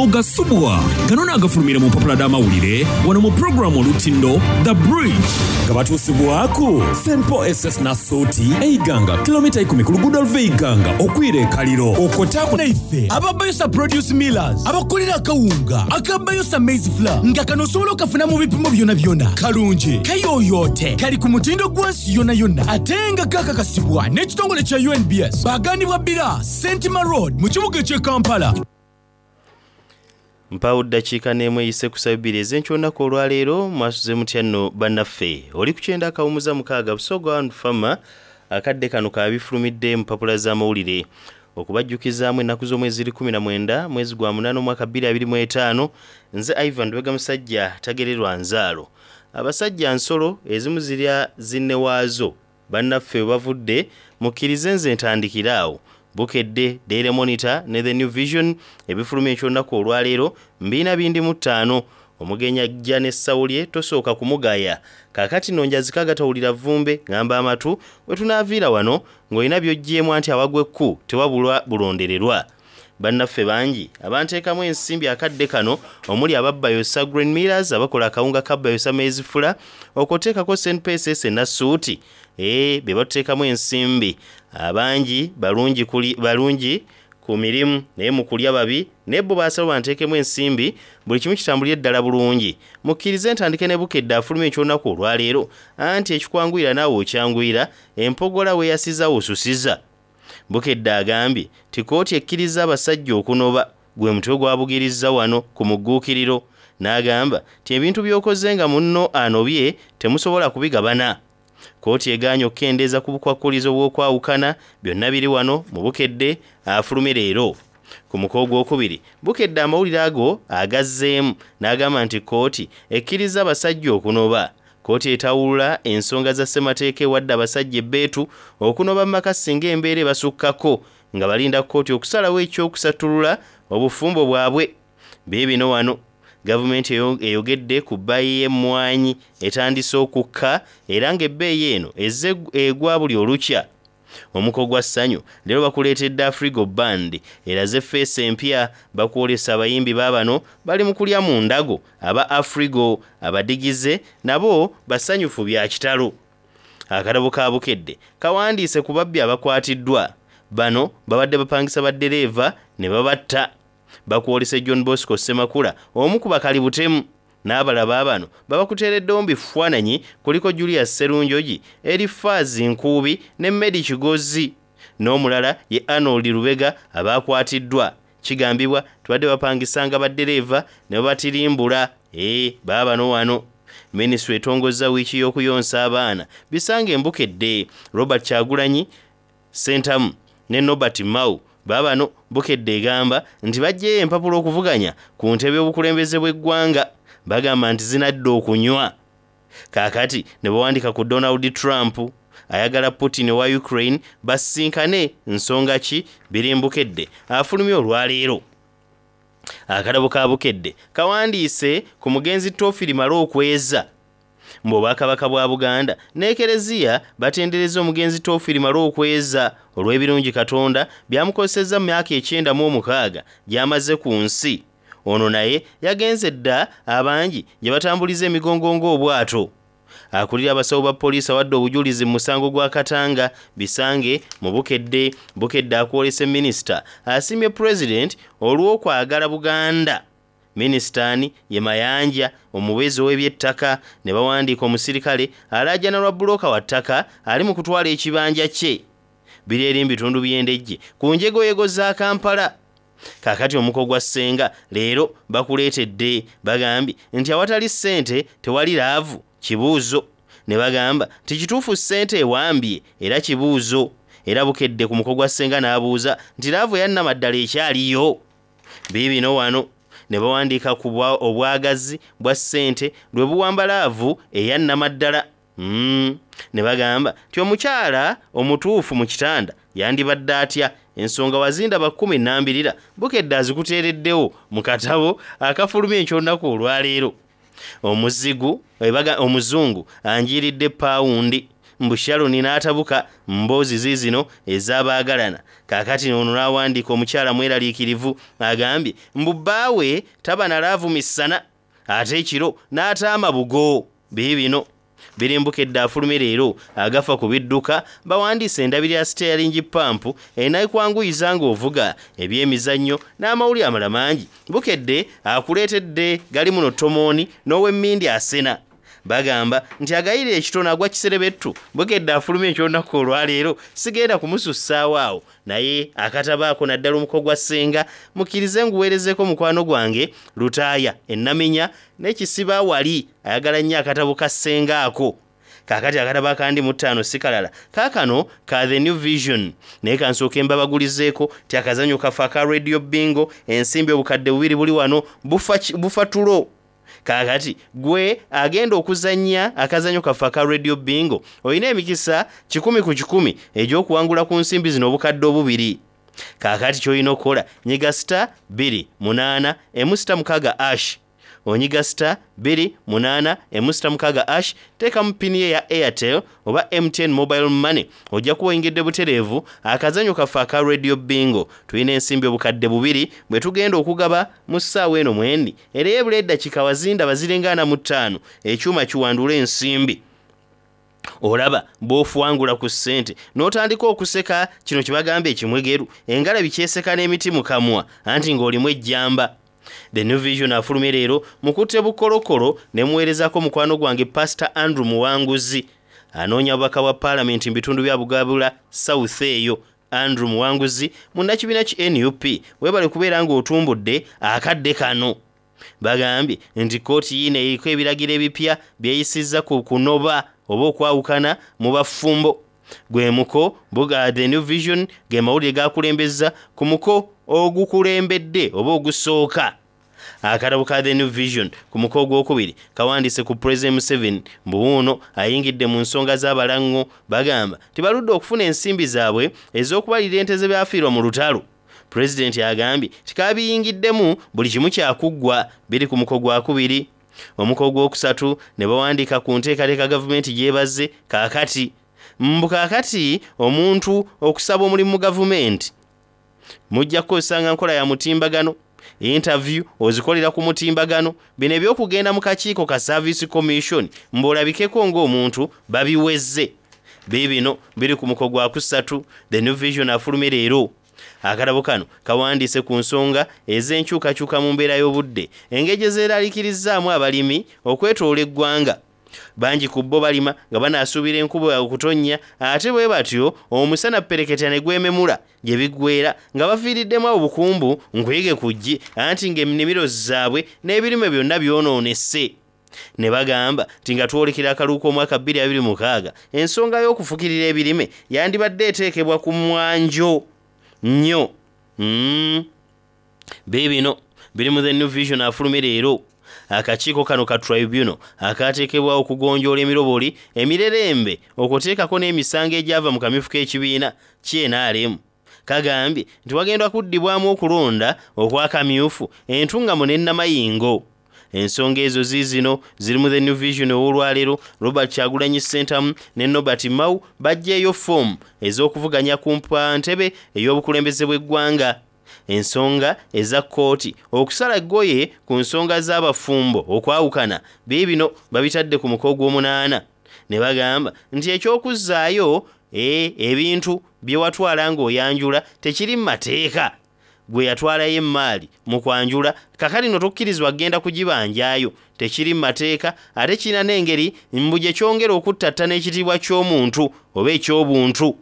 Ogasubwa. Gano naagafulumire mu mpapula dh'amawulire wano mu pulogulaamu Olutindo, The Bridge. Nga batuusibwaku St Paul SS Nassuuti e Iganga, kilomita ikumi ku luguudo oluva e Iganga okwira e Kaliro. Okwo taaku. Naife aba Bayosa Produce Millers abakolera akawunga aka Bayosa Maize Flour nga kano osobola okafuna mu bipimo byonabyona, kalungi, kayoyoote, kali ku mutindo gwa nsi yonayona ate nga kakakasibwa n'ekitongole kya UNBS. Baagaanibwa Bbira, Sentima Road mu kibuga eky'e Kampala. Mpaawo ddakiika n'emu eyise ku ssaawa ebbiri ez'enkya olunaku olwaleero. Mwasuze mutya nno bannaffe? Oli ku kyenda akawumuza mukaaga Busoga One Farmer. Akadde kano ka bifulumidde mu mpapula z'amawulire. Okubajjukizaamu ennaku z'omwezi ziri 19 mwezi gwa munaana omwaka 2025. Nze Ivan Lubega Musajja tagererwa nzaalo. Abasajja nsolo ezimu zirya zinne waazo. Bannaffe we bavudde mukkirize nze ntandikire awo. Bukedde, Daily Monitor ne The New Vision ebifulumye eky'olunaku olwaleero mbiina bindi mu ttaano. Omugenyi ajja n'essawo lye tosooka kumugaya. Kaakati nno njazika agatawulira vvumbe ng'amba amatu we tunaaviira wano ng'olina by'oggyeemu anti awagwa ekku tewabulwa bulondererwa. Bannaffe bangi abanteekamu ensimbi akadde kano omuli aba Bayosa Grain Millers abakola akawunga ka Bayosa Maize Flour okwo oteekako St Paul SS e Nassuuti ee be batuteekamu ensimbi. Abangi balungi kuli balungi ku mirimu naye mu kulya babi naye bo baasalawo banteekemu ensimbi buli kimu kitambulire ddala bulungi. Mukkirize ntandike ne Bukedde afulumye eky'olunaku olwaleero anti ekikwanguyira naawe okyanguyira empogola weeyasiza osusiza. Bukedde agambye nti kkooti ekkirizza abasajja okunoba gwe mutwe gwabugirizza wano ku mugguukiriro n'agamba nti ebintu by'okoze nga munno anobye temusobola kubigabana. Kkooti egaanye okukendeeza ku bukwakkulizo bw'okwawukana byonna biri wano mu Bukedde afulumye leero. Ku muko ogwokubiri Bukedde amawulire ago agazzeemu n'agamba nti kkooti ekkirizza abasajja okunoba. Kkooti etawulula ensonga za ssemateeka ewadde abasajja ebbeetu okunoba mu maka singa embeera ebasukkako nga balinda kkooti okusalawo eky'okusattulula obufumbo bwabwe. Biibino wano. Gavumenti eyogedde ku bbayi y'emmwanyi etandise okukka era ng'ebbeeyi eno ezze egwa buli olukya. Omuko gwa Ssanyu leero bakuleetedde Afrigo Band eraze ffeesi empya bakwolesa abayimbi baabano bali mu kulya mu ndago aba Afrigo abadigize nabo basanyufu bya kitalo. Akatabo ka Bukedde kawandiise ku babbi abakwatiddwa. Bano babadde bapangisa baddereeva ne babatta. Bakwolese John Bosco Ssemakula omu ku bakali butemu n'abalala baabano babakuteereddewo mu bifaananyi kuliko Julius Sserunjogi, Erifaazi Nkuubi ne Medi Kigozi n'omulala ye Arnold Lubega abaakwatiddwa. Kigambibwa tubadde bapangisanga baddereeva ne babatirimbula. Ee, baabano wano. Minisitule etongozza wiiki y'okuyonsa abaana bisange Mbukedde. Robert Kyagulanyi Ssentamu ne Norbert Mao baabano Bukedde egamba nti baggyeyo empapula okuvuganya ku ntebe y'obukulembeze bw'eggwanga. Bagamba nti zinadda okunywa. Kaakati ne bawandiika ku Donald Trump ayagala Putin owa Ukraine basisinkane nsonga ki biri Mbukedde afulumye olwaleero. Akatabo ka Bukedde kawandiise ku mugenzi Toofiri Male Okweza. Mbu Obwakabaka bwa Buganda n'Ekereziya batenderezza omugenzi Toofiri Male Okweza olw'ebirungi Katonda by'amukozesezza mu myaka ekyenda mu omukaaga gy'amaze ku nsi. Ono naye yagenze dda abangi gye batambuliza emigongo ng'obwato. Akulira abasawo ba poliisi awadde obujulizi mu musango gwa Katanga Bisange mu Bukedde. Bukedde akwolese minisita asiimye pulezidenti olw'okwagala Buganda. Minisita ani ye Mayanja omubeezi ow'ebyettaka ne bawandiika omusirikale alaajana lwa bbulooka wa ttaka ali mu kutwala ekibanja kye. Biri eri mu bitundu by'e Ndejje ku njegoyego za Kampala. Kaakati omuko gwa ssenga leero bakuleetedde bagambye nti awatali ssente tewali laavu kibuuzo. Ne bagamba nti kituufu ssente ewambye era kibuuzo. Era Bukedde ku muko gwa ssenga n'abuuza nti laavu eya nnamaddala ekyaliyo? Biibino wano. Ne bawandiika ku obwagazi bwa ssente lwe buwamba laavu eya nnamaddala. Ne bagamba nti omukyala omutuufu mu kitanda yandibadde atya? Ensonga wazindaba kkumi nnambirira Bukedde azikuteereddewo mu katabo akafulumye eky'olunaku olwaleero. Omuzigu, omuzungu anjiiridde paawundi. Mbu Sharon n'atabuka mboozi ziizino ez'abaagalana. Kaakati ono n'awandiika omukyala mweraliikirivu agambye mbu bbaawe taba na laavu misana ate ekiro n'ataama bugo. Biibino biri Mbukedde afulumye leero agafa ku bidduka bawandiise endabirira ya siteyalingi pampu enekwanguyiza ng'ovuga ebyemizannyo n'amawulire amala mangi. Bukedde akuleetedde gali muno tomooni n'ow'emmindi asena. Bagamba nti agayirira ekitono agwa kiserebettu. Bukedde afulumye eky'olunaku olwaleero sigenda kumusussaawo awo naye akatabo ako naddala omuko gwa ssenga mukkirize nguweerezeeko mukwano gwange Lutaaya e Naminya n'ekisiba wali ayagala nnyo akatabo ka ssenga ako. Kaakati akatabo akandi mu ttaano si kalala kaakano ka The New Vision naye kansooke mbabagulizeeko nti akazannyo kaffe aka Radio Bingo ensimbi obukadde bubiri buli wano bufa, bufa tulo. Kaakati gwe agenda okuzannya akazannyo kaffe aka Radio Bingo olina emikisa kikumi ku kikumi egy'okuwangula ku nsimbi zino obukadde obubiri. Kaakati ky'olina okukola nyiga sita bbiri munaana emu sita mukaaga ash onyiga sita bbiri munaana emu sita mukaaga ash teekamu pini ye ya Airtel oba MTN Mobile Money ojja kuba oyingidde butereevu akazannyo kaffe aka Radio Bingo. Tulina ensimbi obukadde bubiri bwe tugenda okugaba mu ssaawa eno mwendi era ebula eddakiika wazindaba ziringa ana mu ttaano ekyuma kiwandule ensimbi. Olaba bw'ofuwangula ku ssente n'otandika okuseka kino kye bagamba ekimwegeru engalabi kyeseka n'emiti mu kamwa anti ng'olimu ejjamba. The New Vision afulumye leero mukutte bukolokolo ne muweerezaako mukwano gwange Pastor Andrew Muwanguzi anoonya bubaka bwa paalamenti mu bitundu bya Bugabula South eyo. Andrew Muwanguzi munnakibiina ki nup weebale kubeera ng'otumbudde akadde kano. Bagambye nti kkooti yiino eriko ebiragiro ebipya byeyisizza ku kunoba oba okwawukana mu bafumbo. Gwe muko buga The New Vision ge mawulire gakulembezza ku muko ogukulembedde oba ogusooka. Akatabo ka The New Vision ku muko ogwokubiri kawandiise ku President Museveni mbu wuuno ayingidde mu nsonga z'abalango bagamba tibaludde okufuna ensimbi zaabwe ez'okubalira ente ze baafiirwa mu lutalo. Pulezidenti agambye nti kabiyingiddemu buli kimu kyakuggwa biri ku muko gwakubiri. Omuko ogwokusatu ne bawandiika ku nteekateeka gavumenti gy'ebazze kaakati. Mbu kaakati omuntu okusaba omulimu mu gavumenti mujja kukozesanga nkola ya mutimbagano, interview ozikolera ku mutimbagano. Bino eby'okugenda mu kakiiko ka Service Commission mbu olabikeko ng'omuntu babiweze. Biibino biri ku muko gwakusatu. The New Vision afulumye leero. Akatabo kano kawandiise ku nsonga ez'enkyukakyuka mu mbeera y'obudde engeri gye zeeraliikirizzaamu abalimi okwetoloola eggwanga. Bangi ku bo balima nga banaasuubira enkuba okutonnya ate bwe batyo omusana ppereketya ne gwememula gye biggweera nga bafiiriddemu obukumbu nkuyige ku ggi anti ng'ennimiro zaabwe n'ebirime byonna byonoonese. Ne bagamba nti nga twolekera akalulu k'omwaka 2026 ensonga y'okufukirira ebirime yandibadde eteekebwa ku mwanjo nnyo. Mm. Biibino biri mu The New Vision afulumye leero. Akakiiko kano ka tribunal akaateekebwawo okugonjoola emiroboli emirerembe okuteekako n'emisango egyava mu kamyufu k'ekibiina ki NRM kagambye nti wagenda kuddibwamu okulonda okw'akamyufu Entungamo ne Namayingo. Ensonga ezo ziizino ziri mu The New Vision ow'olwaleero. Robert Kyagulanyi Ssentamu ne Norbert Mao baggyeeyo ffoomu ez'okuvuganya ku ntebe ey'obukulembeze bw'eggwanga. Ensonga eza kkooti okusala eggoye ku nsonga z'abafumbo okwawukana biibino babitadde ku muko ogw'omunaana ne bagamba nti eky'okuzzaayo e, ebintu bye watwala ng'oyanjula tekiri mu mateeka. Gwe yatwalayo emmaali mu kwanjula kakati no tokkirizibwa kugenda kugibanjaayo tekiri mu mateeka ate kirina n'engeri mbu gye kyongera okuttattana ekitiibwa ky'omuntu oba eky'obuntu.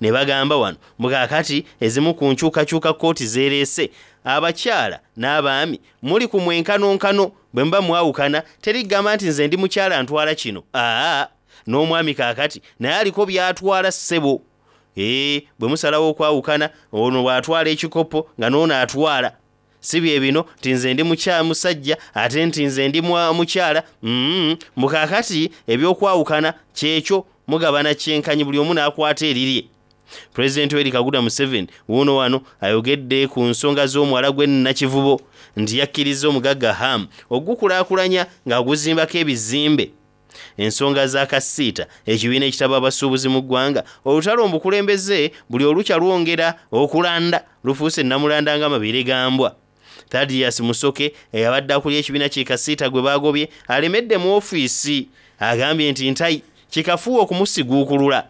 Ne bagamba wano mbu kaakati ezimu ku nkyukakyuka kkooti zeereese abakyala n'abaami muli ku mwenkanonkano bwe muba mwawukana teri kugamba nti nze ndi mukyala ntwala kino aa n'omwami kaakati naye aliko by'atwala ssebo. Ee, bwe musalawo okwawukana ono bw'atwala ekikopo nga n'ono atwala si bye bino nti nze ndi musajja ate nti nze ndi mukyala mm, mbu kaakati ebyokwawukana kyekyo mugabana kyenkanyi buli omu n'akwata erirye. Pulezidenti Yoweri Kaguta Museveni wuuno wano ayogedde ku nsonga z'omwala gw'e Nakivubo nti yakkirizza omugagga Ham ogukulaakulanya ng'aguzimbako ebizimbe. Ensonga za Kasiita, ekibiina ekitaba abasuubuzi mu ggwanga, olutalo mu bukulembeze buli olukya lwongera okulanda, lufuuse nnamulanda ng'amabeere ga mbwa. Thaddeus Musoke eyabadde akulira ekibiina ki Kasiita gwe baagobye alemedde mu ofiisi agambye nti Ntayi kikafuuwe okumusiguukulula.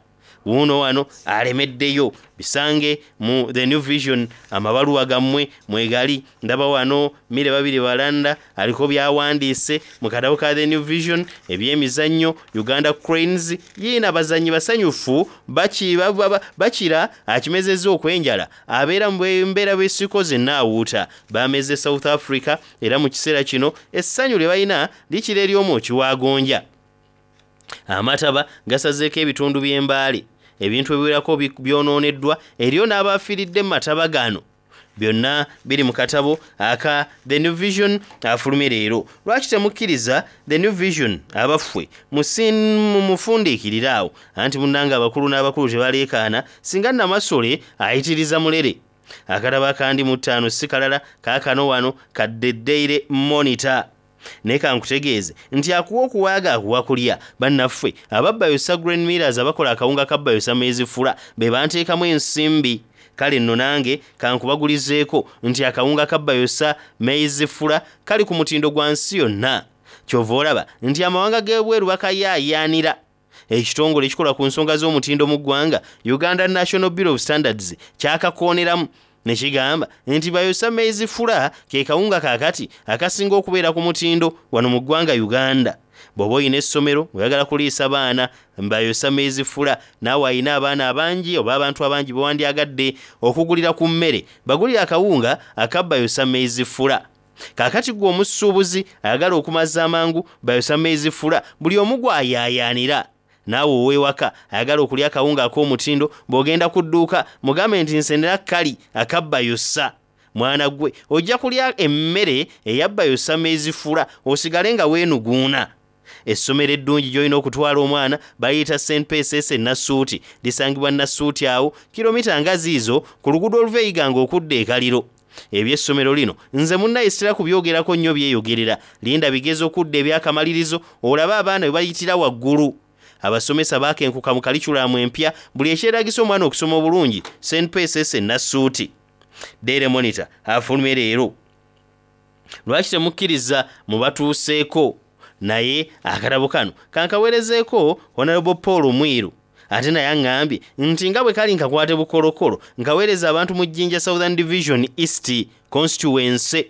Wuuno wano alemeddeyo. Bisange mu The New Vision amabaluwa gammwe mwegali. Ndaba wano Mire Babirye Balanda aliko by'awandiise mu katabo ka The New Vision eby'emizannyo Uganda Cranes yiino abazannyi basanyufu bakira akimezezza okw'enjala abeera mu mbeera bw'esikoze n'awuuta. Baameze South Africa era mu kiseera kino essanyu lye balina likira ery'omwoki wa gonja. Amataba gasazeeko ebitundu by'e Mbale, ebintu ebiwerako byonooneddwa eriyo n'abaafiiridde mu mataba gano. Byonna biri mu katabo aka The New Vision afulumye leero. Lwaki temukkiriza The New Vision abaffwe mumufundiikirire awo? Anti munnange abakulu n'abakulu tebaleekaana singa Namasole ayitiriza mulere. Akatabo akandi mu ttaano si kalala kaakano wano ka The Daily Monitor. Naye kankutegeeze nti akuwa okuwaaga akuwa kulya. Bannaffe aba Bayosa Grain Millers abakola akawunga ka Bayosa Maize Flour be banteekamu ensimbi. Kale nno nange kankubagulizeeko nti akawunga ka Bayosa Maize Flour kali ku mutindo gwa nsi yonna. Ky'ova olaba nti amawanga g'ebweru bakayaayaanira. Ekitongole ekikola ku nsonga z'omutindo mu ggwanga, Uganda National Bureau of Standards, kyakakooneramu ne kigamba nti Bayosa Maize Flour ke kawunga kaakati akasinga okubeera ku mutindo wano mu ggwanga Uganda. Bw'oba olina essomero oyagala kuliisa baana Bayosa Maize Flour, naawe alina abaana abangi oba abantu abangi be wandyagadde okugulira ku mmere, bagulire akawunga aka Bayosa Maize Flour. Kaakati ggwe omusuubuzi ayagala okumaza amangu Bayosa Maize Flour buli omu gw'ayaayaanira. Naawe ow'ewaka ayagala okulya akawunga ak'omutindo bw'ogenda ku dduuka mugambe nti nsenera kali aka Bayosa. Mwana ggwe ojja kulya emmere eya Bayosa Maize Flour osigale nga weenuguuna. Essomero eddungi gy'olina okutwala omwana baliyita St PSS e Nassuuti. Lisangibwa Nassuuti awo kilomita nga ziizo ku luguudo oluva e Iganga okudda e Kaliro. Eby'essomero lino nze munnaye sitera kubyogerako nnyo byeyogerera. Linda bigezo kudda eby'akamalirizo olabe abaana bwe bayitira waggulu. Abasomesa baakenkuka mu kaliculamu empya buli ekyetaagisa omwana okusoma obulungi St PSS e Nassuuti. Daily Monitor afulumye leero. Lwaki temukkiriza mubatuuseeko? Naye akatabo kano kankaweerezeeko Honorable Paul Mwiru. Ate naye aŋŋambye nti nga bwe kali nkakwate bukolokolo nkaweereza abantu mu Jinja Southern Division East Constituency.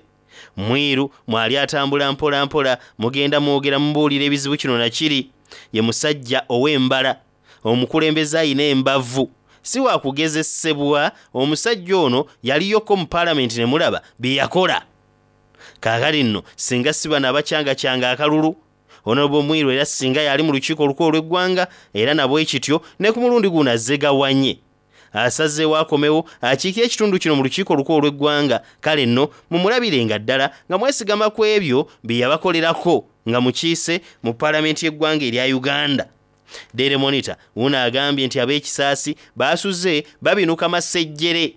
Mwiru mwali atambula mpola mpola mugenda mwogera mubuulira ebizibu kino na kiri. Ye musajja ow'embala, omukulembeze alina embavu. Si wa kugezesebwa, omusajja ono yaliyoko mu paalamenti ne mulaba bye yakola. Kaakati nno singa si bano abacyangacyanga akalulu, Honorable Mwiru era singa yali mu lukiiko olukulu olw'eggwanga era na bwe kityo ne ku mulundi guno azze gawanye. Asazeewo akomewo akiikire ekitundu kino mu lukiiko olukulu olw'eggwanga. Kale nno mumulabirenga ddala nga mwesigama ku ebyo bye yabakolerako nga mukiise mu paalamenti y'eggwanga erya Uganda. Daily Monitor wuuno agambye nti ab'ekisaasi baasuze babinuka masejjere.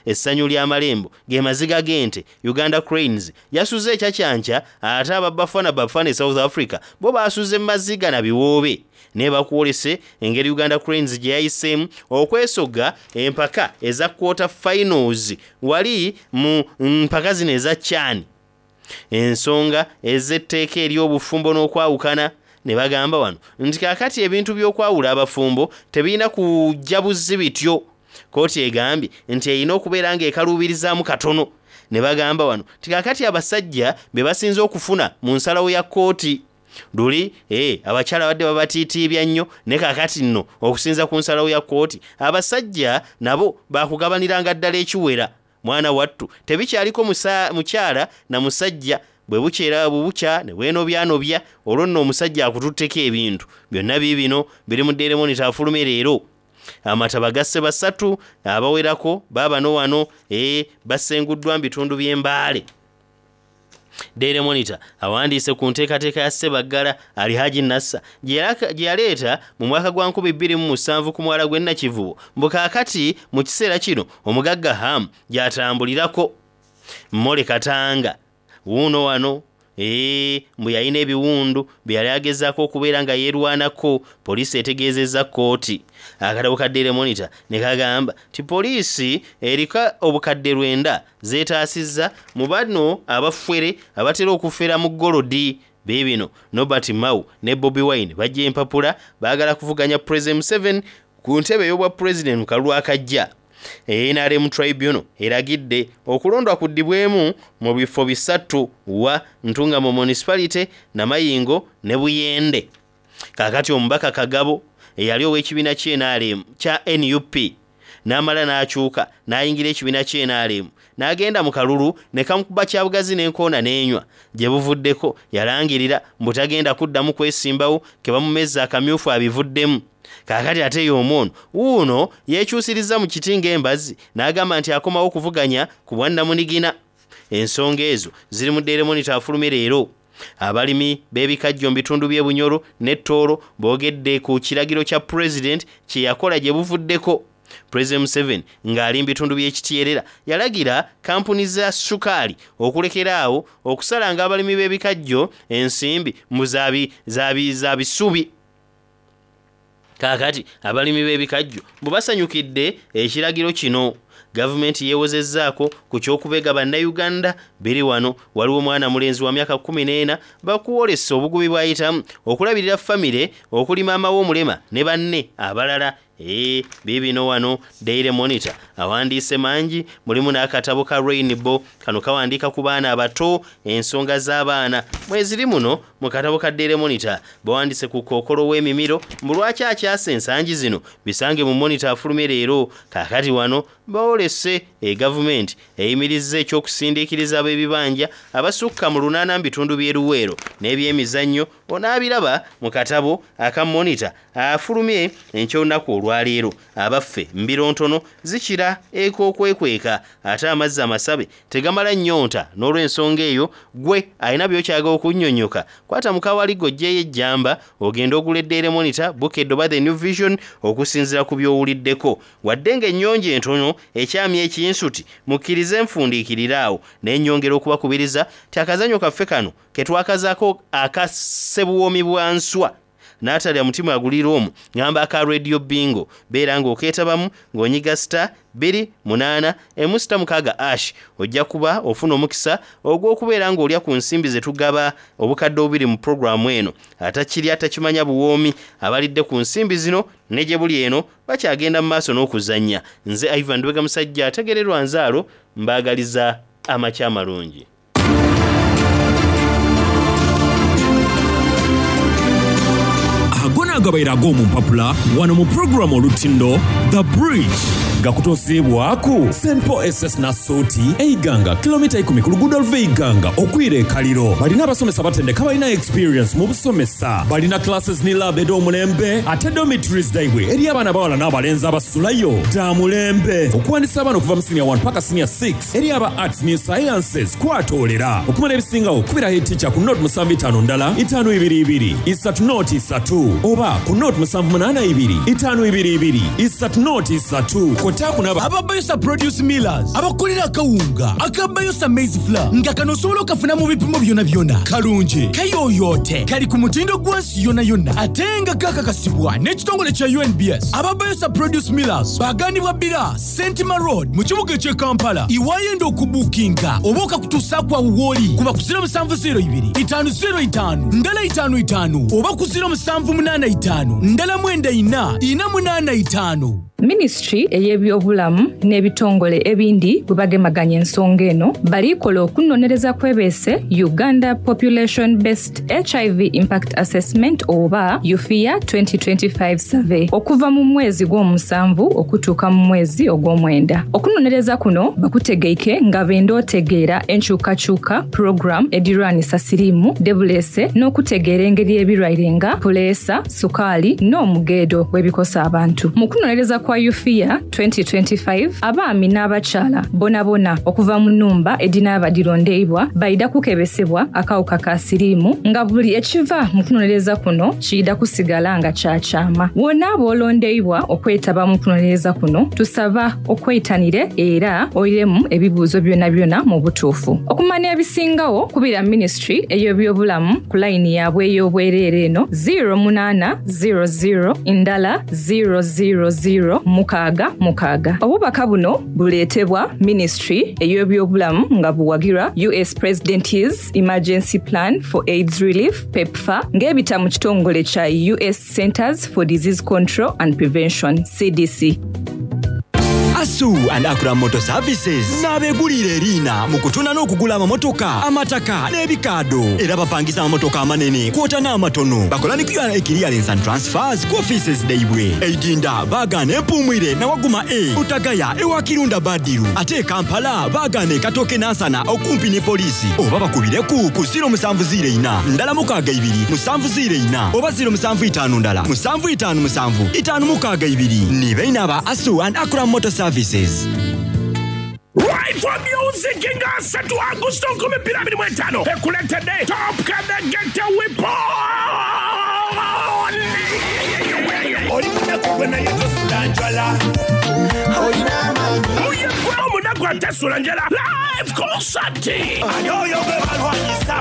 Essanyu ly'amalembo ge maziga g'ente. Uganda Cranes yasuze ekyakyankya ate aba Bafana Bafana e South Africa bo baasuze maziga na biwoobe. Naye bakwolese engeri Uganda Cranes gye yayiseemu okwesogga empaka eza quarter finals wali mu mpaka zino eza CHAN. Ensonga ez'etteeka ery'obufumbo n'okwawukana ne bagamba wano nti kaakati ebintu by'okwawula abafumbo tebirina kujja buzzi bityo. Kkooti egambye nti erina okubeera ng'ekaluubirizaamu katono. Ne bagamba wano nti kaakati abasajja be basinze okufuna mu nsalawo ya kkooti. Luli, abakyala badde babatiitiibya nnyo, ne kaakati nno okusinza ku nsalawo ya kkooti abasajja nabo baakugabaniranga ddala ekiwera. Mwana wattu tebikyaliko mukyala na musajja, bwe bukyera bwe bukya ne bwenoobyanobya, olwo nno omusajja akututteko ebintu. Byonna biibino biri mu Daily Monitor afulumye leero. Amataba gasse basatu abawerako baabano wano, basenguddwa mu bitundu by'e Mbale. Daily Monitor awandiise ku nteekateeka ya Ssebaggala Alhaji Nasser gye yaleeta mu mwaka gwa 2007 ku mwala gw'e Nakivubo, mbu kaakati mu kiseera kino omugagga Ham gy'atambulirako. Mmole Katanga wuuno wano Eeh mbu yalina ebiwundu bye yali agezaako okubeera nga yeerwanako, poliisi etegeezezza kkooti. Akatabo ka Daily Monitor ne kagamba nti poliisi eriko obukadde lwenda z'etaasizza mu bano abafere abatera okufera mu golodi. Biibino, Norbert Mao ne Bobi Wine baggye empapula baagala kuvuganya President Museveni ku ntebe ey'obwa pulezidenti mu kalulu akajja. NRM Tribunal eragidde okulondwa kuddibwemu mu bifo bisattu wa Ntungamo Municipality, Namayingo ne Buyende. Kaakati omubaka Kagabo eyali ow'ekibiina kya nrm kya nup n'amala n'akyuka n'ayingira ekibiina kya nrm n'agenda mu kalulu ne kamukuba kyabugazi n'enkoona n'enywa gye buvuddeko yalangirira mbu tagenda kuddamu kwesimbawo ke bamumezza akamyufu abivuddemu. Kaakati ate y'omu ono wuuno yeekyusirizza mu kiti ng'embazzi n'agamba nti akomawo okuvuganya ku bwannamunigina. Ensonga ezo ziri mu Daily Monitor afulumye leero. Abalimi b'ebikajjo mu bitundu by'e Bunyoro ne Tooro boogedde ku kiragiro kya Pulezidenti kye yakola gye buvuddeko. Pulezidenti Museveni ng'ali mu bitundu by'e Kityerera yalagira kkampuni za ssukaali okulekera awo okusalanga abalimi b'ebikajjo ensimbi mbu za bisubi. Kaakati abalimi b'ebikajjo mbu basanyukidde ekiragiro kino. Gavumenti yeewozezzaako ku ky'okubega Bannayuganda biri wano. Waliwo mwana mulenzi wa myaka 14 bakwolesa obugubi bw'ayitamu okulabirira famire okuli maama we omulema ne banne abalala. Eeh biibino wano Daily Monitor awandiise mangi mulimu n'akatabo ka Rainbow kano kawandiika ku baana abato ensonga z'abaana mweziri muno mu katabo ka Daily Monitor bawandiise ku kookolo w'emimiro mbu lwaki akyasa ensangi zino bisange mu Monitor afulumye leero kaakati wano boolese e gavumenti eyimirizza eky'okusindiikiriza ab'ebibanja abasukka mu lunaana mu bitundu by'e Luweero n'ebyemizannyo onaabiraba mu katabo aka Monitor afulumye enky'olunaku olwaleero. Abaffe mbiro ntono zikira ek'okwekweka ate amazzi amasabe tegamala nnyonta n'olw'ensonga eyo gwe alina by'okyaga okunnyonnyoka kwata mukawaligo oggyeyo ejjamba ogende ogule Daily Monitor, Bukedde oba The New Vision okusinziira ku by'owuliddeko. Wadde ng'ennyonjo entono ekyamya ekinsuti mukkirize nfundiikirire awo naye nnyongera okubakubiriza nti akazannyo kaffe kano ke twakazaako aka Ssebuwoomi bwa nswa n'atalya mutima agulira omu ngamba aka Radio Bingo beera ng'okeetabamu ng'onyiga star bbiri munaana emu sita mukaaga ash ojja kuba ofuna omukisa ogw'okubeera ng'olya ku nsimbi ze tugaba obukadde obubiri mu pulogulaamu eno. Atakirya takimanya buwoomi abalidde ku nsimbi zino ne gye buli eno bakyagenda mu maaso n'okuzannya. Nze Ivan Lubega Musajja ategererwa nzaalo mbaagaliza amakya amalungi. Ago n'agabaire ag'omu mpapula wano mu pulogulaamu Olutindo The Bridge gakutuusiibwaku St Paul SS Nassuuti e Iganga kilomita ikumi ku luguudo oluva e Iganga okwira e Kaliro. Balina abasomesa abatendeke abalina experience mu busomesa. Balina classes ni lab edh'omulembe ate dormitories dhaibwe eri abaana abawala n'abalenzi abasulayo dha mulembe. Okuwandisa abaana okuva mu senior 1 paka senior 6 Eri aba Arts ni Sciences kwatoolera. Okumanya ebisingagho kubira head teacher ku nought musanvu itaanu ndala itaanu ibiri ibiri isatu nought isatu oba ku nought musanvu munaana ibiri itaanu ibiri ibiri isatu nought isatu. Kwotaaku n'aba. Aba Bayosa Produce Millers abakukolera akawunga aka Bayosa Maize Flour nga kano osobola okafuna mu bipimo byonabyona. Kalungi, kayoyoote, kali ku mutindo gwa nsi yonayona ate nga kakakasibwa n'ekitongole kya UNBS. Aba Bayosa Produce Millers baghanibwa Bbira, Sentima Road mu kibuga eky'e Kampala. Iwayenda okubuukinga oba okakutuusaaku agho w'oli kuba ku 0702 505 ndala itaanu itaanu oba ku 0785 ndala mwenda ina ina munaana itaanu. Minisitule ey'ebyobulamu n'ebitongole ebindi bwebagemaganya ensonga eno, bali kola okunonereza kwebeese Uganda Population Based HIV Impact Assessment oba UFIA 2025 Survey okuva mu mwezi gw'omusanvu okutuuka mu mwezi ogw'omwenda. Okunonereza kuno bakutegeike nga benda otegeera enkyukakyuka program edhirwanisa siriimu dhebuleese n'okutegeera engeri ebirwaire nga puleesa, sukaali n'omugeedo bwebikosa abantu. Mu kunonereza kwa. kwa UFIA 2025, abaami n'abakyala bonabona okuva mu nnhumba edhinaaba dhirondeibwa baidha kukebesebwa akawuka ka siriimu nga buli ekiva mu kunonereza kuno kiidha kusigala nga kya kyama. Bw'onaaba olondeibwa okwetaba mu kunonereza kuno, tusaba okweitanire era oiremu ebibuuzo byonabyona mu butuufu. Okumanya ebisingagho, kubira Minisitule ey'Ebyobulamu ku layini yaabwe ey'obwereere eno, ziiro munaana ziiro ziiro ndala ziiro ziiro ziiro mukaaga mukaaga. Obubaka buno buleetebwa Minisitule ey'Ebyobulamu nga buwagirwa US President's Emergency Plan for AIDS Relief, PEPFAR, ng'ebita mu kitongole kya US Centers for Disease Control and Prevention, CDC. Asu and Akram Motor Services n'abeeguliire eriina mu kutunda n'okugula amamotoka, amataka n'ebikaado. Era bapangisa amamotoka amanene kwota n'amatono. Bakola ni QRA Clearance and Transfers ku offices dhaibwe. E Idinda baagaana Empuumwire na Waguma A, Butagaya ewa Kirunda Badiru. Ate e Kampala baagaana e Katooke Nansana okumpi ni poliisi. Oba bakubireku ku ziiro musanvu ziiro ina ndala mukaaga ibiri musanvu ziiro ina oba ziiro musanvu itaanu ndala musanvu itaanu musanvu itaanu mukaaga ibiri. Ni baine aba Asu and Akram Motor Services. Rifle Music nga asatu Agusto 2025 ekuletedde Top Kadegete Weapon. Oli munaku gwe naye tosula njala. Oye gwe omunaku atasula njala. Live concert. Ani oyo gwe balwanyisa?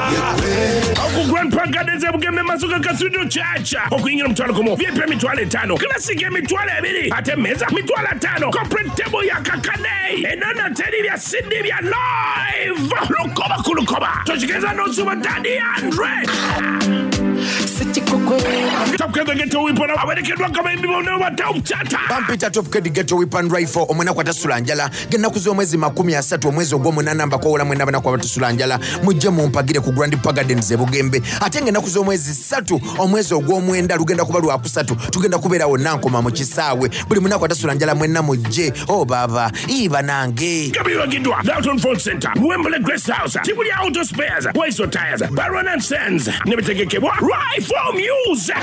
Oku Grand Park Gardens e Bugembe Masuka Cathedral Church. Okuyingira omutwalo gumu, VIP emitwalo etaano, Classic emitwalo ebiri, ate emmeeza mitwalo ataano, corporate table ya kakade. Enono teri bya CD bya live. Lukoba ku lukoba. Tokigeza n'osuba Daddy Andre. Top Kid Ghetto Weapon awerekeddwa abayimbi bonna ba Top Chata. Bampita Top Kid Ghetto Weapon Rifle omunaku atasula njala ng'ennaku z'omwezi 30 omwezi ogw'omunaana mbakoowola mwenna abanaku abatasula njala mujje mumpagire ku Grand Park Gardens e Bugembe ate ng'ennaku z'omwezi 3 omwezi ogw'omwenda lugenda kuba lwakusatu tugenda kubeera wonna nkoma mu kisaawe buli munaku atasula njala mwenna mujje o baba ii banange. Gabiwagiddwa Dalton Phone Center, Wembley Grace House, Kibuli Auto Spares, Waiso Tires, Baron and Sons ne bitegekebwa Rifle Music.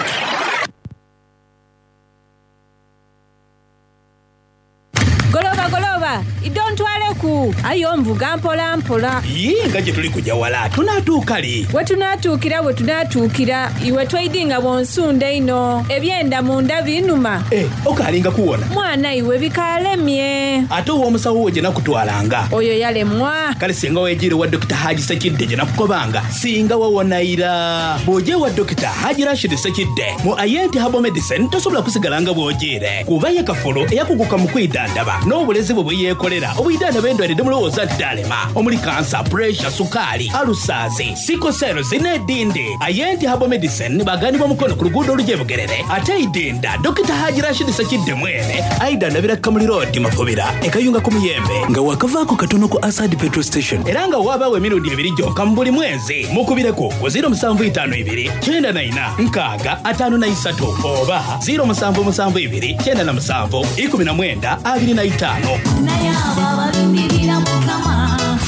Goloba goloba, idho ntwaleku. Aye onvuga mpola mpola. Yii nga gye tuli kuja wala, tunaatuuka li? We tunaatuukira we tunaatuukira, iwe toidhi nga bw'onsunda einho. Ebyenda munda binuma. Eh, okaalinga kuwona? Mwana iwe bikaalemye. Ate ow'omusawo wo gye nakutwalanga? Oyo yalemwa. Kale singa weejiire wa Dokita Haji Sekidde gye nakukobanga, singa wawona ira. Bw'oja ewa Dokita Haji Rashid Sekidde mu Ayenti Herbal Medicine tosobola kusigala nga bw'ojiire. Kuba ye kafulu eyakuguka mu kwidhandhaba n'obulezi bwe bwe yeekolera obwidhandhaba endwaire dhe mulowooza nti dhaalema omuli kansa, puresha, sukaali, alusaazi, siko seerozi n'edhindi. Ayenti Herbal Medicine baghanibwa Mukono ku luguudo olugya e Bugerere ate e Idinda Dokita Haji Rashid Sekidde mwene aidhandhabira Kamuli Road Mafubira e Kayunga ku Muyembe nga waakavaaku katono ku Asad Petrol Station era nga waabaawo emirundi ebiri gyonka mu buli mwezi. Mukubireku ku ziiro musanvu itaanu ibiri kyenda na ina nkaaga ataanu na isatu oba ziiro musanvu musanvu ibiri 97 19 25.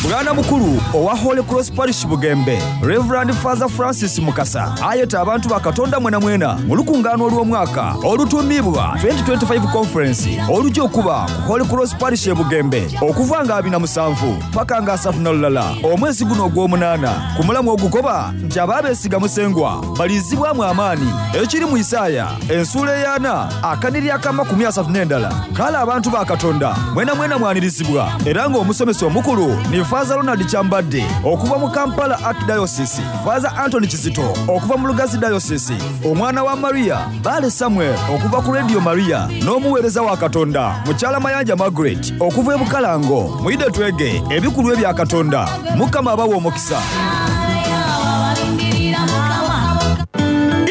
Bwana mukulu owa Holy Cross Parish Bugembe, Rev. Father Francis Mukasa ayeta abantu ba Katonda mwenamwena mu lukungaano olw'omwaka olutuumibwa 2025 Conference oluja okuba ku Holy Cross Parish e Bugembe okuva nga abina musanvu paka nga asatu na lulala omwezi guno ogw'omunaana ku mulamwa ogukoba nti abaabesiga Musengwa baliizibwamu amaani ekiri mu Isaaya ensuula ey'ana akaniri ak'amakumi asatu n'endala. Kale abantu ba Katonda mwenamwena mwanirizibwa era ng'omusomesa omukulu ni Faaza Ronald Kyambadde okuva mu Kampala Archdiocese, Faaza Anthony Kizito okuva mu Lugazi Diocese, omwana wa Maria Bbaale Samuel okuva ku Radio Maria n'omuweereza wa Katonda Mukyala Mayanja Margaret okuva e Bukalango. Mwidhe twege ebikulu ebya Katonda. Mukama abawe omukisa.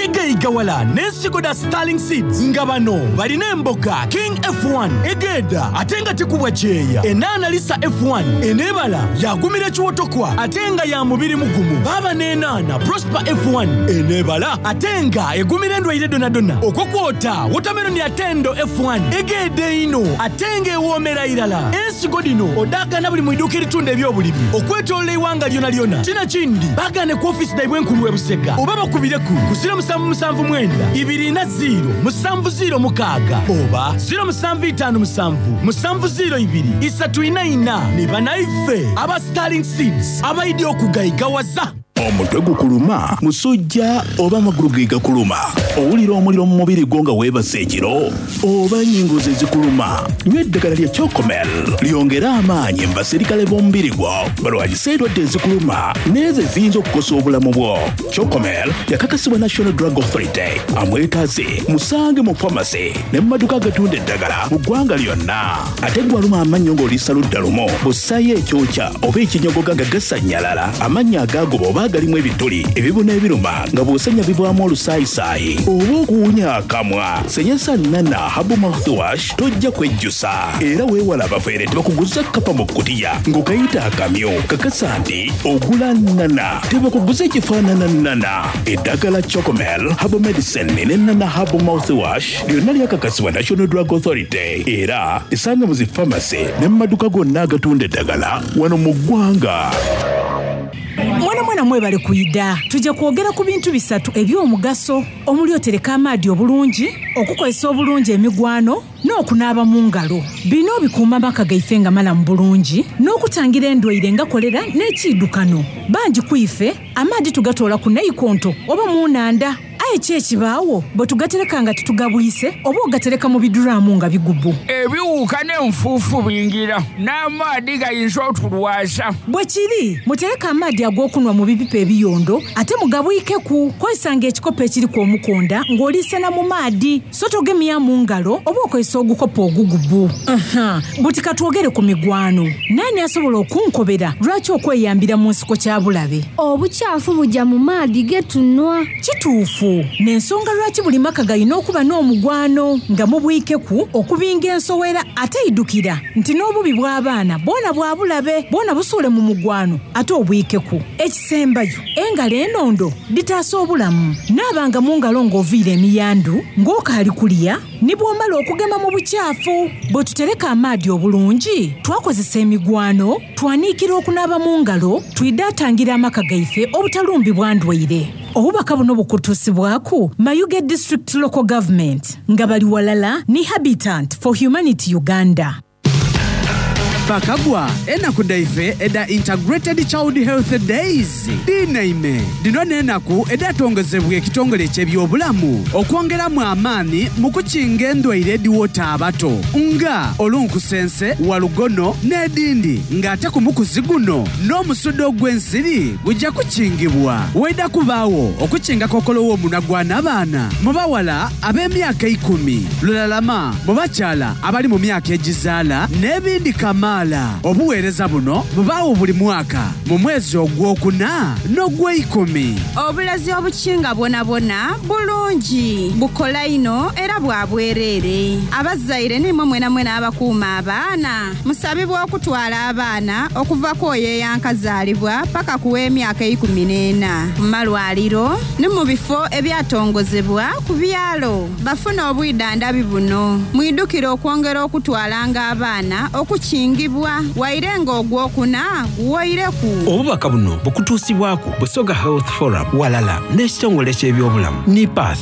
Igaigawala n'ensigo dha Sterling Seeds nga bano balina emboga King F1 egeeda ate nga tekubwa kyeya, enaana Lisa F1 eneebala yaagumira ekiwotokwa ate nga ya mubiri mugumu, baaba n'enaana Prosper F1 eneebala ate nga egumira endwaire dhonadhona, okwo kwota wotameroni Atendo F1 egeeda einho ate nga ewoomera irala. Ensigo dhino odhaagaana buli mu iduuka eritunda eby'obulimi okwetoolola eighanga lyonalyona. Kino kindi baagaane ku ofiisi dhaibwe enkulu e Busega oba bakubireku ku 0775. 79 24 0 706 oba 0757 702 344. Ni banaife aba Sterling Seeds abaidye okugaigawaza. Omutwe gukuluma, musujja oba amagulu ge gakuluma? Owulira omuliro mu mubiri gwo nga weebase ekiro? Oba ennyingo ze zikuluma? Nywa eddagala lya Chocomel lyongere amaanyi mu baserikale b'omubiri gwo balwanyise endwadde ezikuluma n'ezo eziyinza okukosa obulamu bwo. Chocomel yakakasibwa National Drug Authority. Amwetaaze musange mu pharmacy ne mu maduuka agatunda eddagala mu ggwanga lyonna. Ate ggwe aluma amannyo ng'oliisa ludda lumu, bw'ossaayo ekyokya oba ekinyogoga nga gasannyalala, amannyo agaagoba oba agalimu ebituli, ebibuna ebiruma nga bw'osenya bivaamu olusaayisaayi oba okuwunya akamwa, senyesa Nana Herbal Mouthwash tojja kwejjusa. Era weewale abafere tebakuguza kkapa mu kkutiya ng'okayita akamyu. Kakasa nti ogula Nana, tebakuguza ekifaanana Nana. Eddagala Chocomel Herbal Medicine ne Nana Herbal Mouthwash lyonna lyakakasibwa National Drug Authority era esanga mu zi pharmacy ne mu maduka gonna agatunda eddagala wano mu ggwanga. Mwana mwana mwebale kwida. Tuje kwogera ku bintu bisatu eby'omugaso omuli otereka amaadi obulungi, okukozesa obulungi emigwano n'okunaaba mu ngalo. Bino bikuuma amaka gaife nga malamu bulungi n'okutangira endwaire nga kolera n'ekiidukano. Bangi ku ife amaadi tugatoola ku naikonto oba mu nhandha. Aye ki ekibaagho bwe tugatereka nga titugabwise oba ogatereka mu biduraamu nga bigubu? Ebiwuuka n'enfuufu bingira, n'amaadhi gayinza otulwaza. Bwe kiri, mutereke amaadhi ag'okunhwa mu bipipa ebiyondo ate mugabwikeku. Kozesanga ekikopo ekiriku omukonda ng'oli sena mu maadhi, so togemyamu ngalo oba okozesa ogukopo ogugubu. Aha, buti ka twogere ku migwano. Naani asobola okunkobera lwaki okweyambira mu nsiko kya bulabe? Obukyafu buja mu maadhi ge tunhwa. Kituufu. N'ensonga lwaki buli maka galina okuba n'omugwano nga mubwikeku okubinga ensowera ate idhukira nti n'obubi bw'abaana bwona bwa bulabe bwona busuule mu mugwano ate obwikeku. Ekisembayo, engalo enondo dhitaasa obulamu. Naabanga mu ngalo ng'oviire emiyandu, ng'okaali kulya, ni bw'omala okugema mu bukyafu. Bwe tutereka amaadhi obulungi, twakozesa emigwano, twaniikira okunaaba mu ngalo, twidha tangira amaka gaife obutalumbibwa ndwaire. Obubaka buno bukutuusibwaku Mayuge District Local Government nga bali walala ni Habitant for Humanity Uganda. Bakagwa, enaku dhaife edha Integrated Child Health Days dhinaime. Dhino n'enaku edhatongozebwa ekitongole eky'ebyobulamu okwongeramu amaani mu kukinga endwaire edhiwota abato nga olunkusense, walugono n'edhindi nga ate ku mukuzi guno n'omusuda ogw'ensiri guja kukingibwa. Waidha kubaagho okukinga kookolo w'omunwa gwa nabaana mu bawala ab'emyaka eikumi, lulalama mu bakyala abali mu myaka egizaala n'ebindi kamaala. Obuweereza buno bubaagho buli mwaka mu mwezi ogwokuna n'ogweikumi. Obulazi obukinga bwonabwona bulungi, bukola inho era bwa bwereere. Abazaire n'imwe mwenamwena abakuuma abaana, musabibwa okutwala abaana okuva ku oyo eyankazaalibwa paka ku w'emyaka eikumi n'ena ku malwaliro ni mu bifo ebyatongozebwa ku byalo bafune obwidhandhabi buno. Mwidhukire okwongera okutwalanga abaana okukingibwa waire nga ogwokuna guwoireku. Obubaka buno bukutuusibwaku Busoga Health Forum walala n'ekitongole ky'ebyobulamu NIPATH.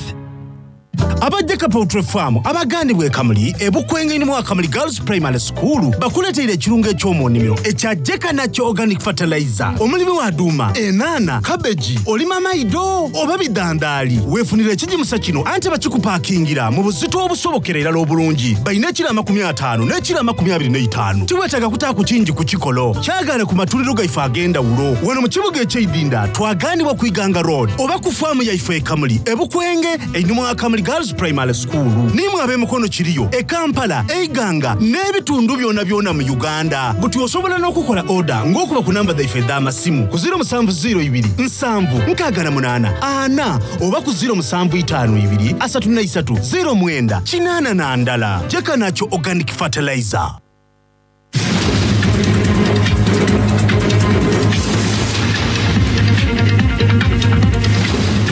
Aba Jeka Poultry Farm abagandibwa e Kamuli e Bukwenge mu Kamuli Girls Primary School bakuleteire ekirungo eky'omu nnimiro ekya Jeka Nakyo Organic Fertilizer. Omulimi wa duuma, enaana, kabeji, olima maido oba bidandaali, weefunire ekigimusa kino anti bakikupakingira mu buzito obusobokera irala obulungi. Balina ekiro 50 n'ekiro 25. Tiweetaaga kutaaku kingi ku kikolo. Kyagaane ku matundiro gaife ag'endawulo wano mu kibuga eky'Eidinda twagaanibwa ku Iganga Road oba ku faamu yaife e Kamuli e Bukwenge einhuma wa Kamuli Girls Primary School. Nimwe ab'emikono kiriyo e Kampala, e Iganga n'ebitundu byonabyona mu Uganda. Buti osobola n'okukola oda ng'okuba ku namba dhaife edh'amasimu ku 0702 768 4 oba ku 0752 33 09 81. Jeka Nakyo Organic Fertilizer.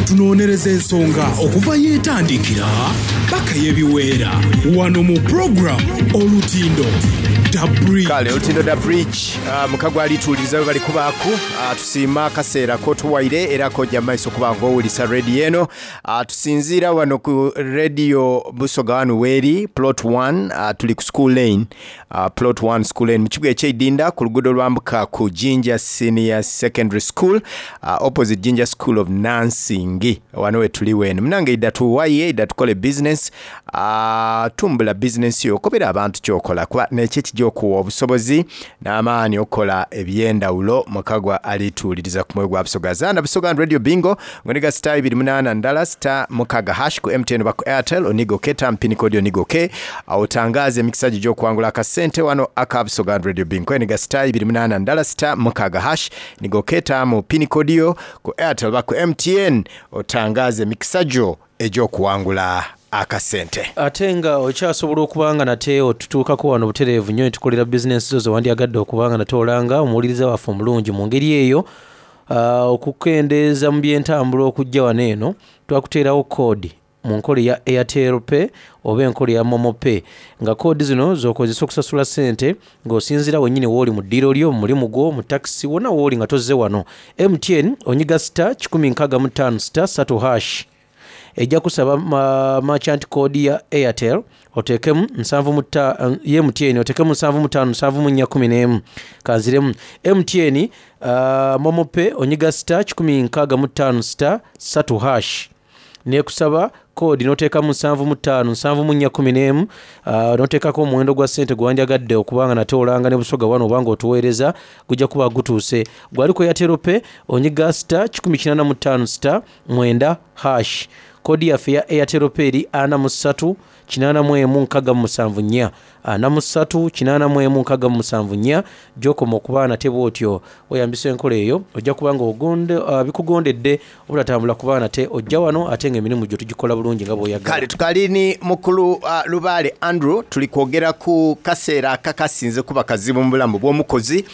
Tunonereza ensonga okuva yeetandikira paka yebiweera wano mu program Olutindo. The Bridge. Kale Olutindo Da Bridge ah, mukago alituwuliriza bwe bali kubaaku. Ah, tusiima akaseera kotuwaire era kojja mu maiso okuba nga owulisa rediyo eno. Ah, tusinziira wano ku rediyo Busoga wano weeri plot 1, ah, tuli ku school lane, ah, plot 1 school lane mu kibuga ekyeidinda ku luguudo lwambuka ku Jinja Senior Secondary School, ah, opposite Jinja School of Nursing. Wano we tuli weeno munange, idda tuwaye, idda tukole business. Ah, tumbula bizinensi yo, okobera abantu kyokola kuba nekyo ekijja okuwa obusobozi n'amaani okukola ebyendawulo. Mukagwa alituwuliriza ku mwoyo gwa Busoga zana Busoga and Radio Bingo ngoniga star ibiri munana ndala star mukaga hash ku MTN oba ku Airtel, oniga ok tampini kodi oniga ok otangaze emikisa gyo gy'okuwangula akasente wano aka Busoga and Radio Bingo. Eniga star ibiri munana ndala star mukaga hash niga ok tamu pini kodi yo ku Airtel oba ku MTN otangaze emikisa gyo egy'okuwangula akasente. Ate nga okyasobola okuba nga nate otutuukako wano butereevu nnyo ne tukolera bizinensi zo ze wandyagadde okuba nga nate olanga omuwuliriza waffe omulungi. Mu ngeri eyo, ah, okukendeeza mu by'entambula okujja wano eno, twakuteerawo koodi mu nkola eya Airtel Pay oba enkola eya Momo Pay, nga koodi zino z'okozesa okusasula ssente ng'osinziira wennyini w'oli mu ddiiro lyo, mu mulimu gwo, mu takisi, wonna w'oli nga tozze wano. MTN onyiga star 165 star 3 hash. Ejja kusaba ma, merchant code ya Airtel oteekemu nsanvu mu tta, ye MTN oteekemu 75 74 11. Kanziremu MTN, uh, Momo Pay onyiga star 165 star 3 hash, nekusaba koodi n'oteekamu 75 74 11, uh, n'oteekako omuwendo gwa ssente gwe wandyagadde okuba nga nate olanga ne Busoga wano oba ng'otuweereza, gujja kuba gutuuse. Gwali ku Airtel Pay onyiga star 185 star 9 hash. Koodi yaffe eya Airtel Pay eri 43 81 67 4, 43 81 67 4. Gy'okoma okuba nate bw'otyo weyambisa enkola eyo, ojja kuba nga ogonde, uh, bikugondedde obutatambula kuba nate ojja wano ate ng'emirimu gyo tugikola bulungi nga bw'oyagala. Kale tukali ni mukulu uh, Lubaale Andrew, tuli kwogera ku kaseera akakasinze kuba kazibu mu bulamu bw'omukozi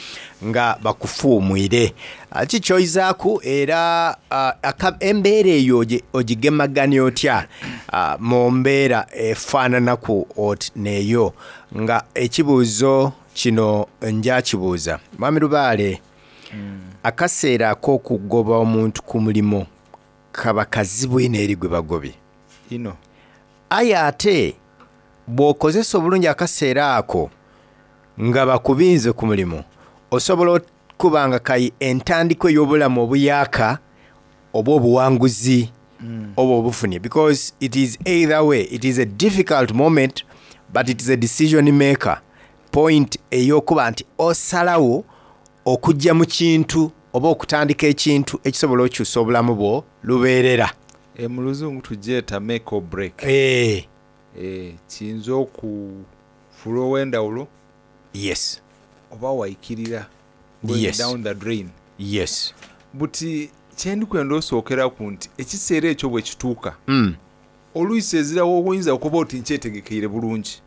nga bakufuumwire. Ah, ki kyoizaaku era ah, aka- embeera eyo ogigemaganya otya, ah, mu mbeera efaananaku oti neeyo? Nga ekibuuzo kino njakibuuza Mwami Lubaale, akaseera ak'okugoba omuntu ku mulimo kaba kazibu inho eri gwe bagobye. Inho. Aye ate bw'okozesa obulungi akaseera ako nga bakubinze ku mulimu, osobola okuba nga kai entandikwa ey'obulamu obuyaaka oba obuwanguzi oba obufunye, because it is either way, it is a difficult moment but it is a decision maker point ey'okuba nti osalawo okujja mu kintu oba okutandika ekintu ekisobola okyusa obulamu bwo lubeerera. E, mu luzungu tugyeta make or break. Eh. E, kiyinza okufuula ow'endawulo. Yes. Oba waikirira. Going down the drain. Yes. Buti kyendikwenda osookeraku nti ekiseera ekyo bwe kituuka, oluisi ezirawo oyinza okuba oti nkyetegekeire bulungi.